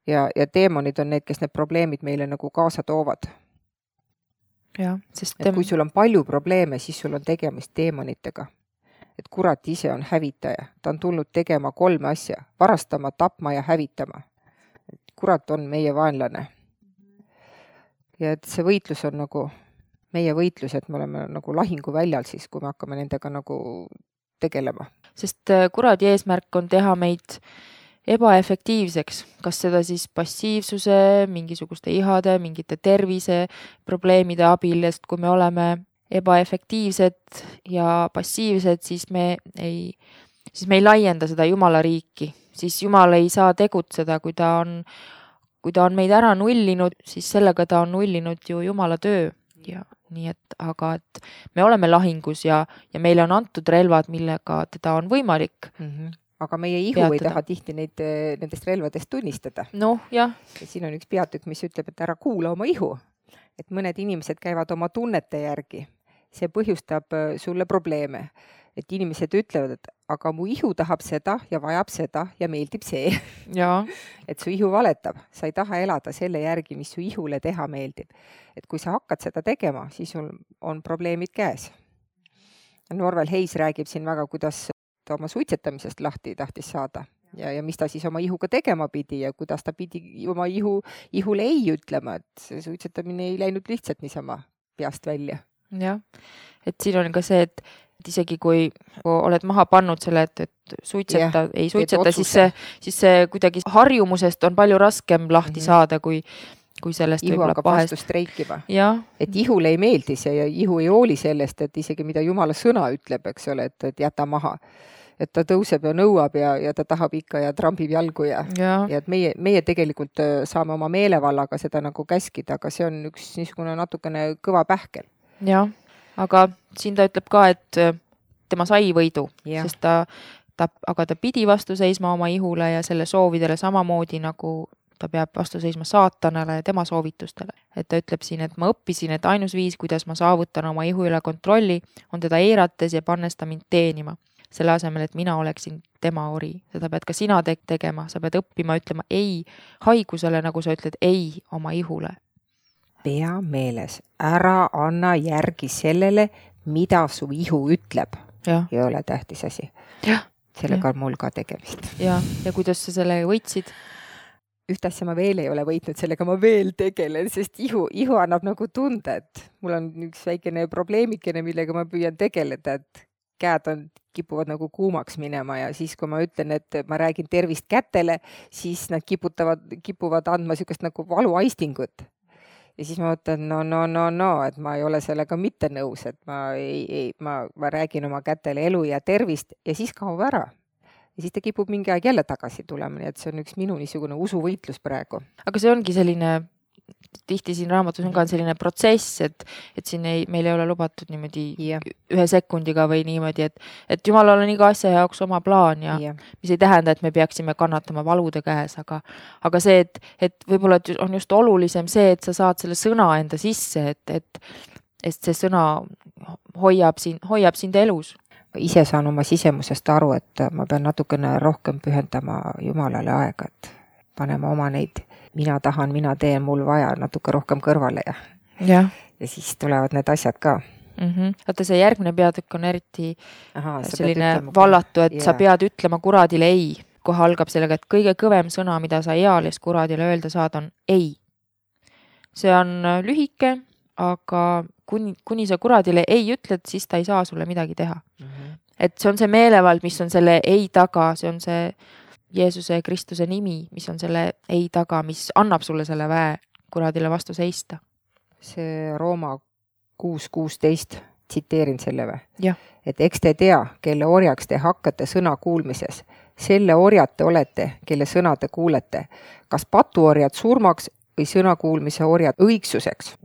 Speaker 2: Ja, ja teemonid on need, kes need probleemid meile nagu kaasa toovad.
Speaker 1: Ja, sest
Speaker 2: et kui sul on palju probleeme, siis sul on tegemist teemonitega. Et kurat ise on hävitaja. Ta on tulnud tegema kolme asja. Varastama, tapma ja hävitama. Kurat on meie vaenlane. Ja et see võitlus on nagu meie võitlus, et me oleme nagu lahingu väljal siis, kui me hakkame nendega nagu tegelema.
Speaker 1: Sest kuradi eesmärk on teha meid ebaefektiivseks, kas seda siis passiivsuse, mingisuguste ihade, mingite tervise probleemide abil, sest kui me oleme ebaefektiivsed ja passiivsed, siis me ei, siis me ei laienda seda Jumala riiki, siis Jumal ei saa tegutseda, kui ta on, kui ta on meid ära nullinud, siis sellega ta on nullinud ju Jumala töö ja nii et, aga et me oleme lahingus ja, ja meile on antud relvad, millega teda on võimalik
Speaker 2: mm. -hmm. Aga meie ihu peatada. Ei taha tihti neid, nendest relvadest tunnistada.
Speaker 1: Noh, jah.
Speaker 2: Ja siin on üks peatükk, mis ütleb, et ära kuula oma ihu. Et mõned inimesed käivad oma tunnete järgi. See põhjustab sulle probleeme. Et inimesed ütlevad, et aga mu ihu tahab seda ja vajab seda ja meeldib see.
Speaker 1: Ja.
Speaker 2: Et su ihu valetab. Sa ei taha elada selle järgi, mis su ihule teha meeldib. Et kui sa hakkad seda tegema, siis sul on probleemid käes. Norvel Heis räägib siin väga, kuidas ta oma suitsetamisest lahti tahtis saada. Ja, ja mis ta siis oma ihuga tegema pidi ja kuidas ta pidi oma ihu, ihule ei ütlema, et see suitsetamine ei läinud lihtsalt niisama peast välja.
Speaker 1: Jah, et siin on ka see, et et isegi kui oled maha pannud selle, et, et suitseta, yeah, ei suitseta, siis see, siis see kuidagi harjumusest on palju raskem lahti mm-hmm. saada, kui, kui sellest
Speaker 2: ihu
Speaker 1: võib-olla
Speaker 2: hakkab pahest. Vastu streikima.
Speaker 1: Ja.
Speaker 2: Et ihule ei meeldi see ja ihu ei hooli sellest, et isegi mida Jumala sõna ütleb, eks ole, et, et jäta maha. Et ta tõuseb ja nõuab ja, ja ta tahab ikka ja trambib jalgu ja,
Speaker 1: ja.
Speaker 2: ja et meie, meie tegelikult saame oma meelevallaga seda nagu käskida, aga see on üks niisugune natukene kõva pähkel.
Speaker 1: Jah. Aga siin ta ütleb ka, et tema sai võidu, ja. Sest ta, ta, aga ta pidi vastu seisma oma ihule ja selle soovidele samamoodi, nagu ta peab vastu seisma saatanale ja tema soovitustele. Et ta ütleb siin, et ma õppisin, et ainus viis, kuidas ma saavutan oma ihu üle kontrolli, on teda eirates ja pannes ta mind teenima. Selle asemel, et mina oleksin tema ori. Seda pead ka sina te- tegema, sa pead õppima, ütlema ei haigusele, nagu sa ütled ei oma ihule.
Speaker 2: Pea meeles, ära anna järgi sellele, mida su ihu ütleb.
Speaker 1: Ja.
Speaker 2: Ei ole tähtis asi.
Speaker 1: Ja.
Speaker 2: Sellega
Speaker 1: ja.
Speaker 2: on mul ka tegemist.
Speaker 1: Ja, ja kuidas sa selle võitsid?
Speaker 2: Üht asja ma veel ei ole võitnud, sellega ma veel tegelen, sest ihu, ihu annab nagu tunde, et mul on üks väikene probleemikene, millega ma püüan tegeleda, et käed on, kipuvad nagu kuumaks minema ja siis, kui ma ütlen, et ma räägin tervist kätele, siis nad kiputavad, kipuvad andma sükest nagu valuaistingut. Ja siis ma mõtlen, no, no, no, no, et ma ei ole sellega mitte nõus, et ma, ei, ei, ma, ma räägin oma kätele elu ja tervist ja siis kaob ära. Ja siis ta kipub mingi aeg jälle tagasi tulema, nii et see on üks minu niisugune usuvõitlus praegu.
Speaker 1: Aga see ongi selline, tihti siin raamatus on ka selline protsess, et, et siin ei, meil ei ole lubatud niimoodi yeah. ühe sekundiga või niimoodi, et, et Jumalal on iga asja jaoks oma plaan ja yeah. mis ei tähenda, et me peaksime kannatama valude käes, aga, aga see, et, et võib-olla on just olulisem see, et sa saad selle sõna enda sisse, et, et, et see sõna hoiab, siin, hoiab sind elus.
Speaker 2: Ise saan oma sisemusest aru, et ma pean natukene rohkem pühendama Jumalale aega, et panema oma neid mina tahan, mina teen, mul vaja natuke rohkem kõrvale ja,
Speaker 1: ja.
Speaker 2: ja siis tulevad need asjad ka.
Speaker 1: Mm-hmm. Vaata, see järgmine peatükk on eriti
Speaker 2: Aha,
Speaker 1: selline vallatu, et ja. Sa pead ütlema kuradile ei. Kohe algab sellega, et kõige kõvem sõna, mida sa eales kuradile öelda saad, on ei. See on lühike, aga kuni, kuni sa kuradile ei ütled, siis ta ei saa sulle midagi teha. Mm-hmm. Et see on see meelevald, mis on selle ei taga, see on see Jeesuse Kristuse nimi, mis on selle ei taga, mis annab sulle selle väe kuradile vastu seista.
Speaker 2: See Rooma kuus kuusteist, tsiteerin selle või?
Speaker 1: Ja.
Speaker 2: Et eks te tea, kelle orjaks te hakkate sõna kuulmises. Selle orjad te olete, kelle sõna te kuulete. Kas patuorjad surmaks või sõna kuulmise orjad õigsuseks?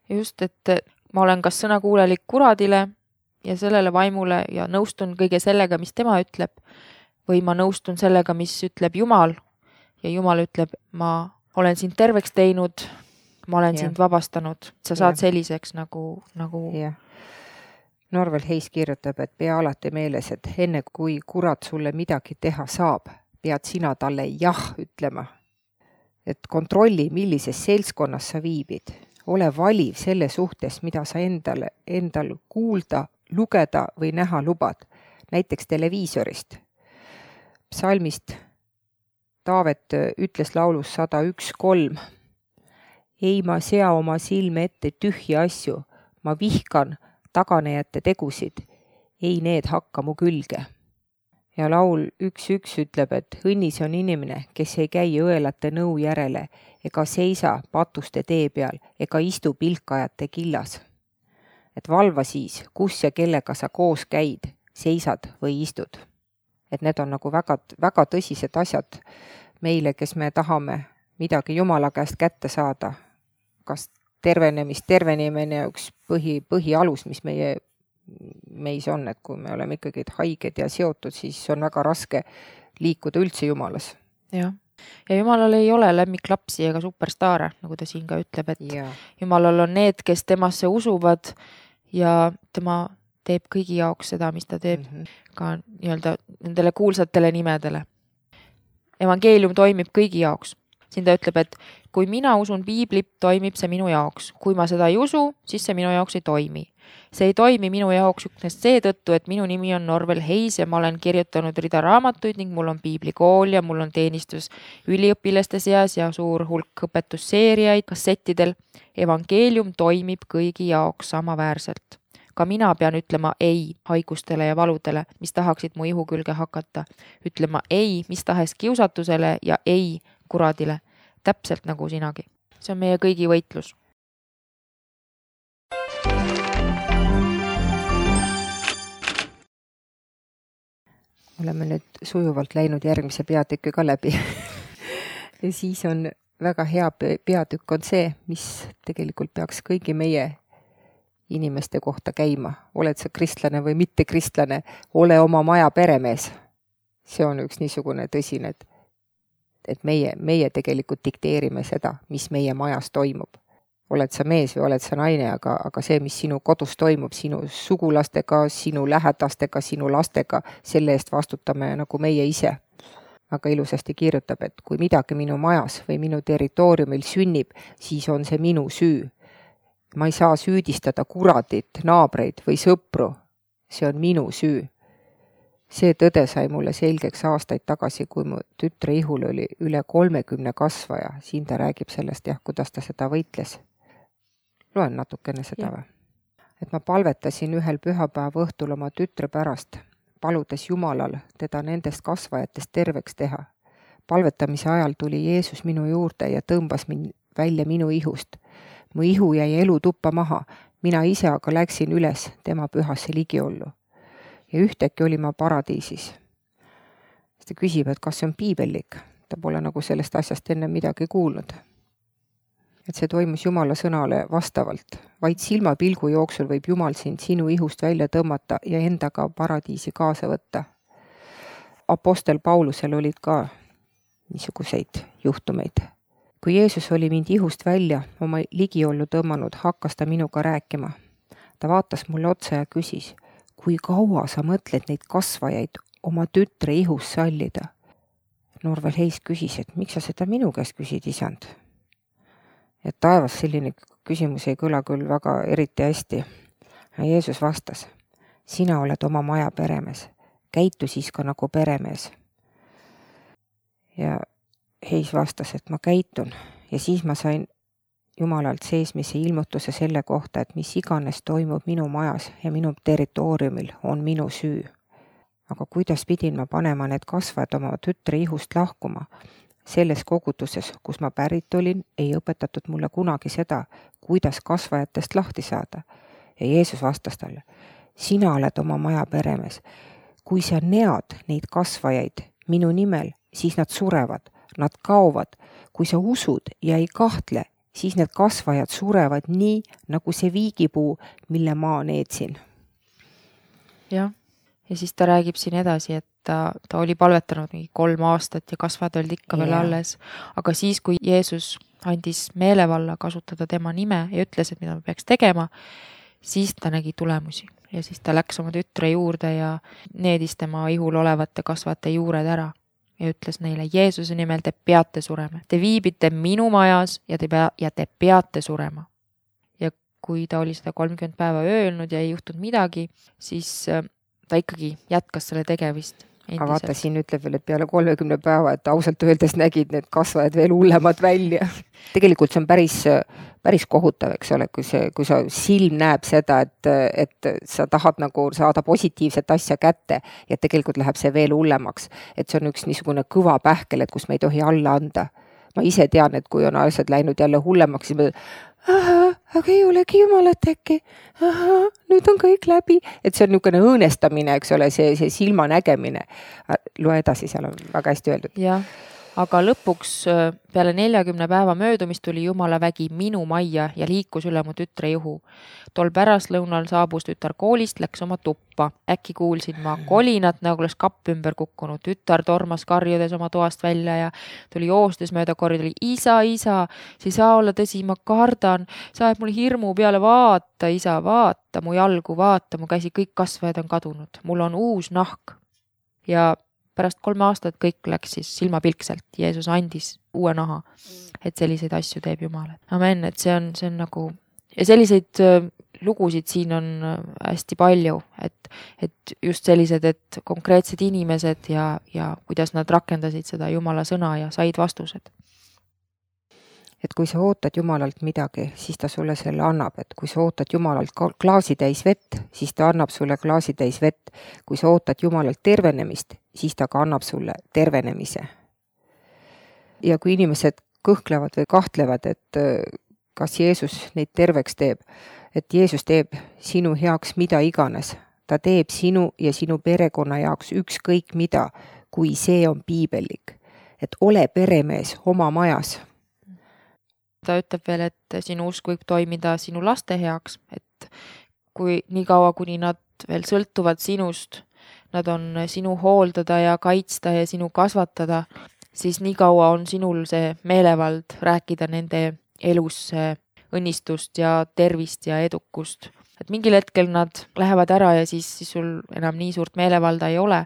Speaker 1: Just, et ma olen kas sõna kuulelik kuradile ja sellele vaimule ja nõustun kõige sellega, mis tema ütleb, või ma nõustun sellega, mis ütleb Jumal ja Jumal ütleb, ma olen sind terveks teinud, ma olen ja. Sind vabastanud. Sa saad ja. Selliseks nagu... nagu...
Speaker 2: Ja. Norvel Heis kirjutab, et pea alati meeles, et enne kui kurat sulle midagi teha saab, pead sina talle jah ütlema. Et kontrolli, millises seltskonnas sa viibid. Ole valiv selle suhtes, mida sa endale, endal kuulda, lugeda või näha lubad, näiteks televiisorist. Psalmist Taavet ütles laulus sada üks kolm. Ei ma sea oma silme ette tühji asju, ma vihkan taganejate tegusid, ei need hakka mu külge.
Speaker 3: ja laul üks üks ütleb, et õnnis on inimene, kes ei käi õelate nõu järele ega seisa patuste tee peal ega istu pilkajate killas. Et valva siis, kus ja kellega sa koos käid, seisad või istud. Et need on nagu väga, väga tõsised asjad meile, kes me tahame midagi Jumala käest kätte saada. Kas tervenemist, tervenemine üks põhi, põhialus, mis meie meis on, et kui me oleme ikkagi haiged ja seotud, siis on väga raske liikuda üldse Jumalas.
Speaker 1: Jah. Ja Jumalal ei ole lemmiklapsi ega superstaare, nagu ta siin ka ütleb, et ja. Jumalal on need, kes temasse usuvad ja tema teeb kõigi jaoks seda, mis ta teeb mm -hmm. ka nii-öelda nendele kuulsatele nimedele. Evangeelium toimib kõigi jaoks. Siin ta ütleb, et kui mina usun piiblit, toimib see minu jaoks. Kui ma seda ei usu, siis see minu jaoks ei toimi. See ei toimi minu jaoks üksnes seetõttu, et minu nimi on Norvel Heis ja ma olen kirjutanud rida raamatuid ning mul on piiblikool ja mul on teenistus üliõpilaste seas ja suur hulk õpetusseeriaid kassettidel. Evangeelium toimib kõigi jaoks samaväärselt. Ka mina pean ütlema ei haigustele ja valudele, mis tahaksid mu ihu külge hakata. Ütlema ei mis tahes kiusatusele ja ei kuradile, täpselt nagu sinagi. See on meie kõigi võitlus.
Speaker 3: Oleme nüüd sujuvalt läinud järgmise peatükki ka läbi. Ja siis on väga hea peatükk on see, mis tegelikult peaks kõigi meie inimeste kohta käima. Oled sa kristlane või mitte kristlane, ole oma maja peremees. See on üks niisugune tõsine, et, et meie, meie tegelikult dikteerime seda, mis meie majas toimub. Oled sa mees või oled sa naine, aga, aga see, mis sinu kodus toimub, sinu sugulastega, sinu lähedastega, sinu lastega, selle eest vastutame nagu meie ise. Aga ilusasti kirjutab, et kui midagi minu majas või minu territooriumil sünnib, siis on see minu süü. Ma ei saa süüdistada kuradit, naabreid või sõpru. See on minu süü. See tõde sai mulle selgeks aastaid tagasi, kui mu tütre ihul oli üle kolmekümne kasvaja. Siin ta räägib sellest, jah, kuidas ta seda võitles. Loen natukene seda või? Et ma palvetasin ühel pühapäeva õhtul oma tütre pärast, paludes Jumalal teda nendest kasvajatest terveks teha. Palvetamise ajal tuli Jeesus minu juurde ja tõmbas mind välja minu ihust. Mu ihu jäi elu tuppa maha, mina ise aga läksin üles tema pühasse ligiollu. Ja ühtäkki oli ma paradiisis. Ta küsib, et kas see on piibellik. Ta pole nagu sellest asjast enne midagi kuulnud. Et see toimus Jumala sõnale vastavalt. Vaid silmapilgu jooksul võib Jumal sind sinu ihust välja tõmmata ja endaga paradiisi kaasa võtta. Apostel Paulusel olid ka niisuguseid juhtumeid. Kui Jeesus oli mind ihust välja oma ligiollu tõmmanud, hakkas ta minuga rääkima. Ta vaatas mulle otsa ja küsis, kui kaua sa mõtled neid kasvajaid oma tütre ihus sallida? Norvel Heis küsis, et miks sa seda minu käest küsid, isand? Et taevas selline küsimus ei kõla küll väga eriti hästi. Ja Jeesus vastas, sina oled oma maja peremees, käitu siis ka nagu peremees. Ja Heis vastas, et ma käitun ja siis ma sain Jumalalt seesmise ilmutuse selle kohta, et mis iganes toimub minu majas ja minu territooriumil on minu süü. Aga kuidas pidin ma panema need kasvajad oma tütre ihust lahkuma? Selles kogutuses, kus ma pärit olin, ei õpetatud mulle kunagi seda, kuidas kasvajatest lahti saada. Ja Jeesus vastas talle, sina oled oma maja peremees. Kui sa nead neid kasvajaid minu nimel, siis nad surevad, nad kaovad. Kui sa usud ja ei kahtle, siis need kasvajad surevad nii, nagu see viigipuu, mille ma needsin.
Speaker 1: Jah, ja siis ta räägib siin edasi, et ta, ta oli palvetanud mingi kolm aastat ja kasvajad olid ikka veel yeah. alles. Aga siis, kui Jeesus andis meelevalla kasutada tema nime ja ütles, et mida me peaks tegema, siis ta nägi tulemusi. Ja siis ta läks oma tütre juurde ja needis tema ihul olevate kasvajate juured ära. Ja ütles neile, Jeesuse nimel te peate surema. Te viibite minu majas ja te, pea, ja te peate surema. Ja kui ta oli seda kolmkümmend päeva öelnud ja ei juhtunud midagi, siis ta ikkagi jätkas selle tegevist.
Speaker 3: Endiselt. Aga vaata, siin ütleb veel, et peale kolmekümne päeva, et ausalt öeldes nägid need kasvajad veel hullemad välja. Tegelikult see on päris päris kohutav, eks ole, kui see, kui sa silm näeb seda, et, et sa tahad nagu saada positiivset asja kätte ja tegelikult läheb see veel hullemaks. Et see on üks niisugune kõva pähkel, et kus me ei tohi alla anda. Ma ise tean, et kui on asjad läinud jälle hullemaks, siis me aha, aga ei olegi jumalat äkki, aha, nüüd on kõik läbi. Et see on niisugune õõnestamine, eks ole, see, see silma nägemine. Loe edasi, seal on väga hästi öeldud.
Speaker 1: Jah. Aga lõpuks peale neljakümne päeva möödumist tuli Jumala vägi minu majja ja liikus üle mu tütre juhu. Tol pärastlõunal saabus tütar koolist, läks oma tuppa. Äkki kuulsin ma kolinat, nagu oleks kapp ümber kukkunud. Tütar tormas karjudes oma toast välja ja tuli joostes mööda koridori. Isa, isa, see ei saa olla tõsi, ma kardan. Sa ajab mul hirmu peale, vaata, isa, vaata, mu jalgu, vaata, mu käsi, kõik kasvajad on kadunud. Mul on uus nahk. Ja pärast kolme aastat kõik läks siis silmapilkselt. Jeesus andis uue naha, et selliseid asju teeb Jumal. Amen, et see on, see on nagu, ja selliseid lugusid siin on hästi palju, et, et just sellised, et konkreetsed inimesed ja, ja kuidas nad rakendasid seda Jumala sõna ja said vastused.
Speaker 3: Et kui sa ootad Jumalalt midagi, siis ta sulle selle annab. Et kui sa ootad Jumalalt klaasi täis vett, siis ta annab sulle klaasi täis vett. Kui sa ootad Jumalalt tervenemist, siis ta ka annab sulle tervenemise. Ja kui inimesed kõhklevad või kahtlevad, et kas Jeesus neid terveks teeb, et Jeesus teeb sinu heaks mida iganes. Ta teeb sinu ja sinu perekonna jaoks ükskõik mida, kui see on piibellik. Et ole peremees oma majas.
Speaker 1: Ta ütleb veel, et sinu usk võib toimida sinu laste heaks, et kui nii kaua, kuni nad veel sõltuvad sinust, nad on sinu hooldada ja kaitsta ja sinu kasvatada, siis nii kaua on sinul see meelevald rääkida nende elus õnnistust ja tervist ja edukust. Et mingil hetkel nad lähevad ära ja siis, siis sul enam nii suurt meelevalda ei ole,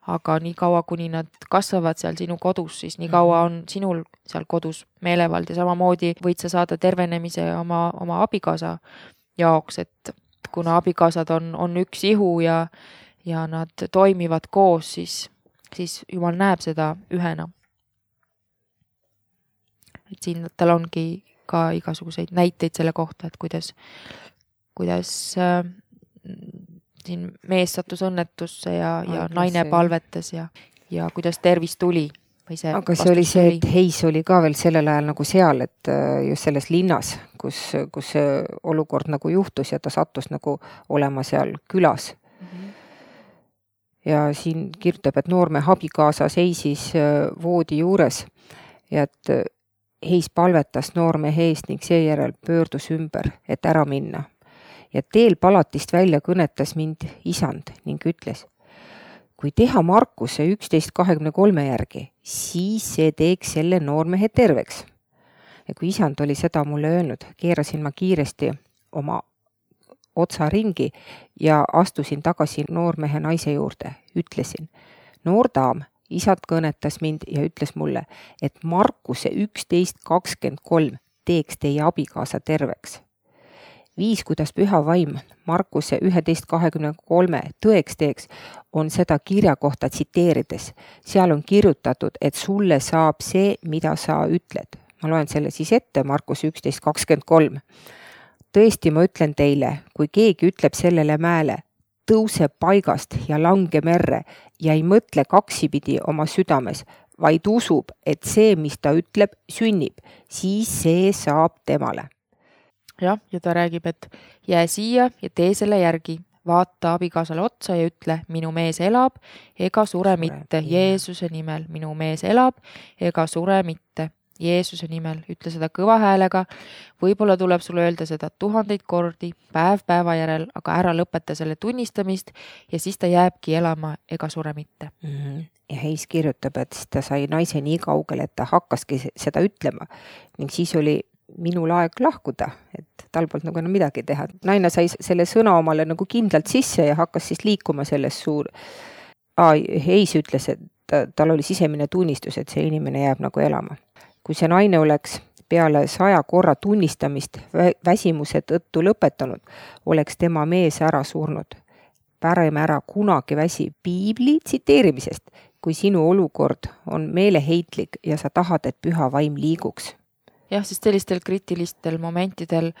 Speaker 1: aga nii kaua, kuni nad kasvavad seal sinu kodus, siis nii kaua on sinul seal kodus meelevald ja samamoodi võid sa saada tervenemise oma, oma abikaasa jaoks, et kuna abikaasad on, on üks ihu ja, ja nad toimivad koos, siis, siis Jumal näeb seda ühena. Et siin tal ongi ka igasuguseid näiteid selle kohta, et kuidas, kuidas äh, siin mees sattus õnnetusse ja, ja Aga naine see... palvetas ja, ja kuidas tervis tuli. Või see
Speaker 3: Aga see oli see, et Heis oli ka veel sellel ajal nagu seal, et just selles linnas, kus, kus see olukord nagu juhtus ja ta sattus nagu olema seal külas. Mm-hmm. Ja siin kirjutab, et noorme abikaasa seisis voodi juures ja et Heis palvetas noorme eest ning seejärel pöördus ümber, et ära minna. Ja teel palatist välja kõnetas mind isand ning ütles, kui teha Markuse üksteist kahekümne kolme järgi, siis see teeks selle noormehe terveks. Ja kui isand oli seda mulle öelnud, keerasin ma kiiresti oma otsa ringi ja astusin tagasi noormehe naise juurde. Ütlesin, noor daam, isand kõnetas mind ja ütles mulle, et Markuse üksteist kakskümmend kolm teeks teie abikaasa terveks. Viis, kuidas püha vaim Markuse üksteist kahekümne kolme tõeks teeks, on seda kirja kohta tsiteerides. Seal on kirjutatud, et sulle saab see, mida sa ütled. Ma loen selle siis ette, Markuse üksteist kakskümmend kolm. Tõesti, ma ütlen teile, kui keegi ütleb sellele mäele, tõuse paigast ja lange merre ja ei mõtle kaksipidi oma südames, vaid usub, et see, mis ta ütleb, sünnib, siis see saab temale.
Speaker 1: Jah, ja ta räägib, et jää siia ja tee selle järgi. Vaata abikaasale otsa ja ütle, minu mees elab, ega sure mitte. Jeesuse nimel, minu mees elab, ega sure mitte. Jeesuse nimel, ütle seda kõva häälega. Võib-olla tuleb sulle öelda seda tuhandeid kordi, päev päeva järel, aga ära lõpeta selle tunnistamist ja siis ta jääbki elama, ega sure mitte.
Speaker 3: Mm-hmm. Ja Heis kirjutab, et ta sai naise nii kaugele, et ta hakkaski seda ütlema ning siis oli minul aeg lahkuda, et tal polnud nagu enam midagi teha. Naine sai selle sõna omale nagu kindlalt sisse ja hakkas siis liikuma selles suur. Aa, Heis ütles, et ta, tal oli sisemine tunnistus, et see inimene jääb nagu elama. Kui see naine oleks peale saja korra tunnistamist väsimuse tõttu lõpetanud, oleks tema mees ära surnud. Päreme ära kunagi väsi piibli tsiteerimisest, kui sinu olukord on meeleheitlik ja sa tahad, et püha vaim liiguks.
Speaker 1: jah, sest sellistel kriitilistel momentidel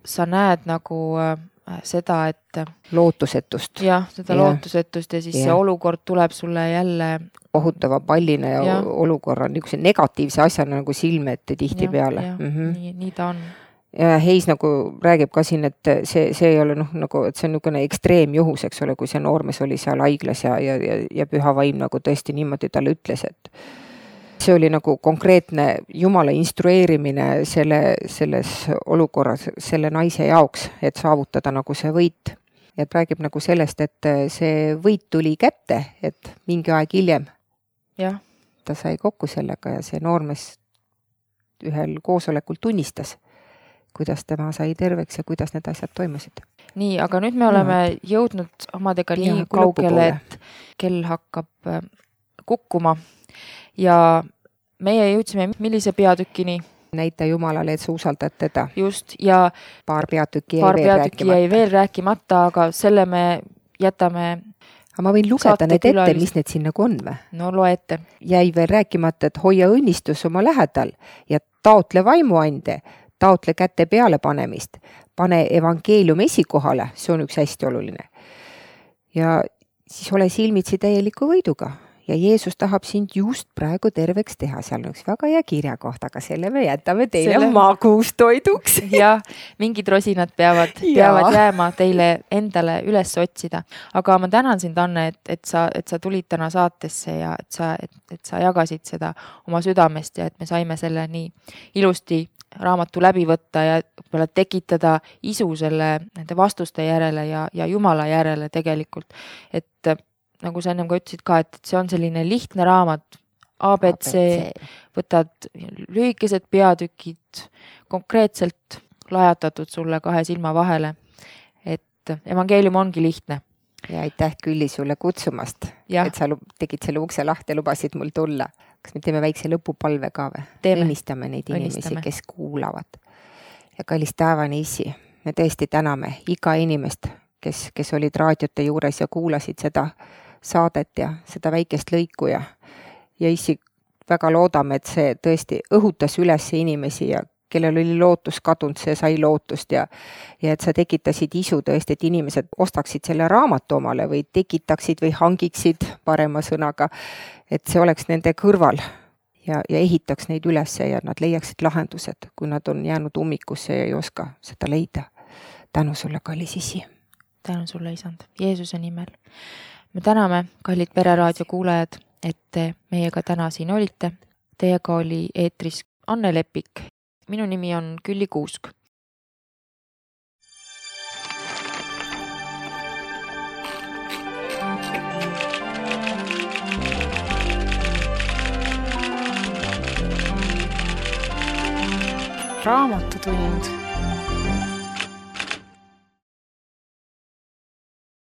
Speaker 1: sa näed nagu äh, seda, et
Speaker 3: lootusetust.
Speaker 1: jah, seda ja. lootusetust ja siis ja. see olukord tuleb sulle jälle
Speaker 3: kohutava pallina ja, ja. olukorra niisuguse negatiivse asjana nagu silme ette tihtipeale.
Speaker 1: Mm -hmm. nii, nii ta on.
Speaker 3: Ja Heis nagu räägib ka siin, et see, see ei ole noh, nagu, et see on niisugune ekstreemjuhus, eks ole, kui see noormees oli seal haiglas ja, ja, ja, ja püha vaim nagu tõesti niimoodi talle ütles, et see oli nagu konkreetne Jumala instrueerimine selle, selles olukorras selle naise jaoks, et saavutada nagu see võit. Ja räägib nagu sellest, et see võit tuli kätte, et mingi aeg hiljem
Speaker 1: ja.
Speaker 3: ta sai kokku sellega ja see noormees ühel koosolekul tunnistas, kuidas tema sai terveks ja kuidas need asjad toimusid.
Speaker 1: Nii, aga nüüd me oleme ja. jõudnud omadega nii ja, kaugele, et kell hakkab kukkuma ja meie jõudsime millise peatükini?
Speaker 3: Näita Jumalale, et sa usaldad teda.
Speaker 1: Just, ja
Speaker 3: paar peatükki jäi,
Speaker 1: paar
Speaker 3: veel,
Speaker 1: peatükki
Speaker 3: rääkimata.
Speaker 1: jäi veel rääkimata, aga selle me jätame.
Speaker 3: Aga ma võin lugeda need ette, külalist. Mis need siin nagu on või?
Speaker 1: No loe ette.
Speaker 3: Jäi veel rääkimata, et hoia õnnistus oma lähedal ja taotle vaimuande, taotle kätte peale panemist, pane evangeelium esikohale, see on üks hästi oluline. Ja siis ole silmitsi täieliku võiduga. Ja Jeesus tahab sind just praegu terveks teha. Seal on üks väga hea kirja koht, aga selle me jätame teile selle... magustoiduks.
Speaker 1: Ja mingid rosinad peavad, peavad jääma teile endale üles otsida. Aga ma tänan sind, Anne, et, et, sa, et sa tulid täna saatesse ja et sa, et, et sa jagasid seda oma südamest ja et me saime selle nii ilusti raamatu läbi võtta ja tekitada isu selle nende vastuste järele ja, ja Jumala järele tegelikult. Et nagu sa ennem ka ütlesid ka, et see on selline lihtne raamat, A B C, võtad lühikesed peatükid, konkreetselt lajatatud sulle kahe silma vahele, et evangeelium ongi lihtne.
Speaker 3: Ja aitäh Külli sulle kutsumast, ja. Et sa tegid selle ukse lahti ja lubasid mul tulla. Kas me teeme väikse lõpupalve ka või?
Speaker 1: Teeme.
Speaker 3: Õnnistame neid inimesi, Õnnistame. Kes kuulavad. Ja kallis taevane isi, me tõesti täname iga inimest, kes, kes olid raadiote juures ja kuulasid seda saadet ja seda väikest lõiku ja, ja issi väga loodame, et see tõesti õhutas üles inimesi ja kellel oli lootus kadunud, see sai lootust ja, ja et sa tekitasid isu tõesti, et inimesed ostaksid selle raamatu omale või tekitaksid või hangiksid parema sõnaga, et see oleks nende kõrval ja, ja ehitaks neid üles ja nad leiaksid lahendused, kui nad on jäänud ummikusse ja ei oska seda leida. Tänu sulle, kallis isi.
Speaker 1: Tänu sulle, isand, Jeesuse nimel. Me täname, kallid Pereraadio kuulajad, et te meiega täna siin olite. Teiega oli eetris Anne Lepik. Minu nimi on Külli Kuusk.
Speaker 4: Raamatutund.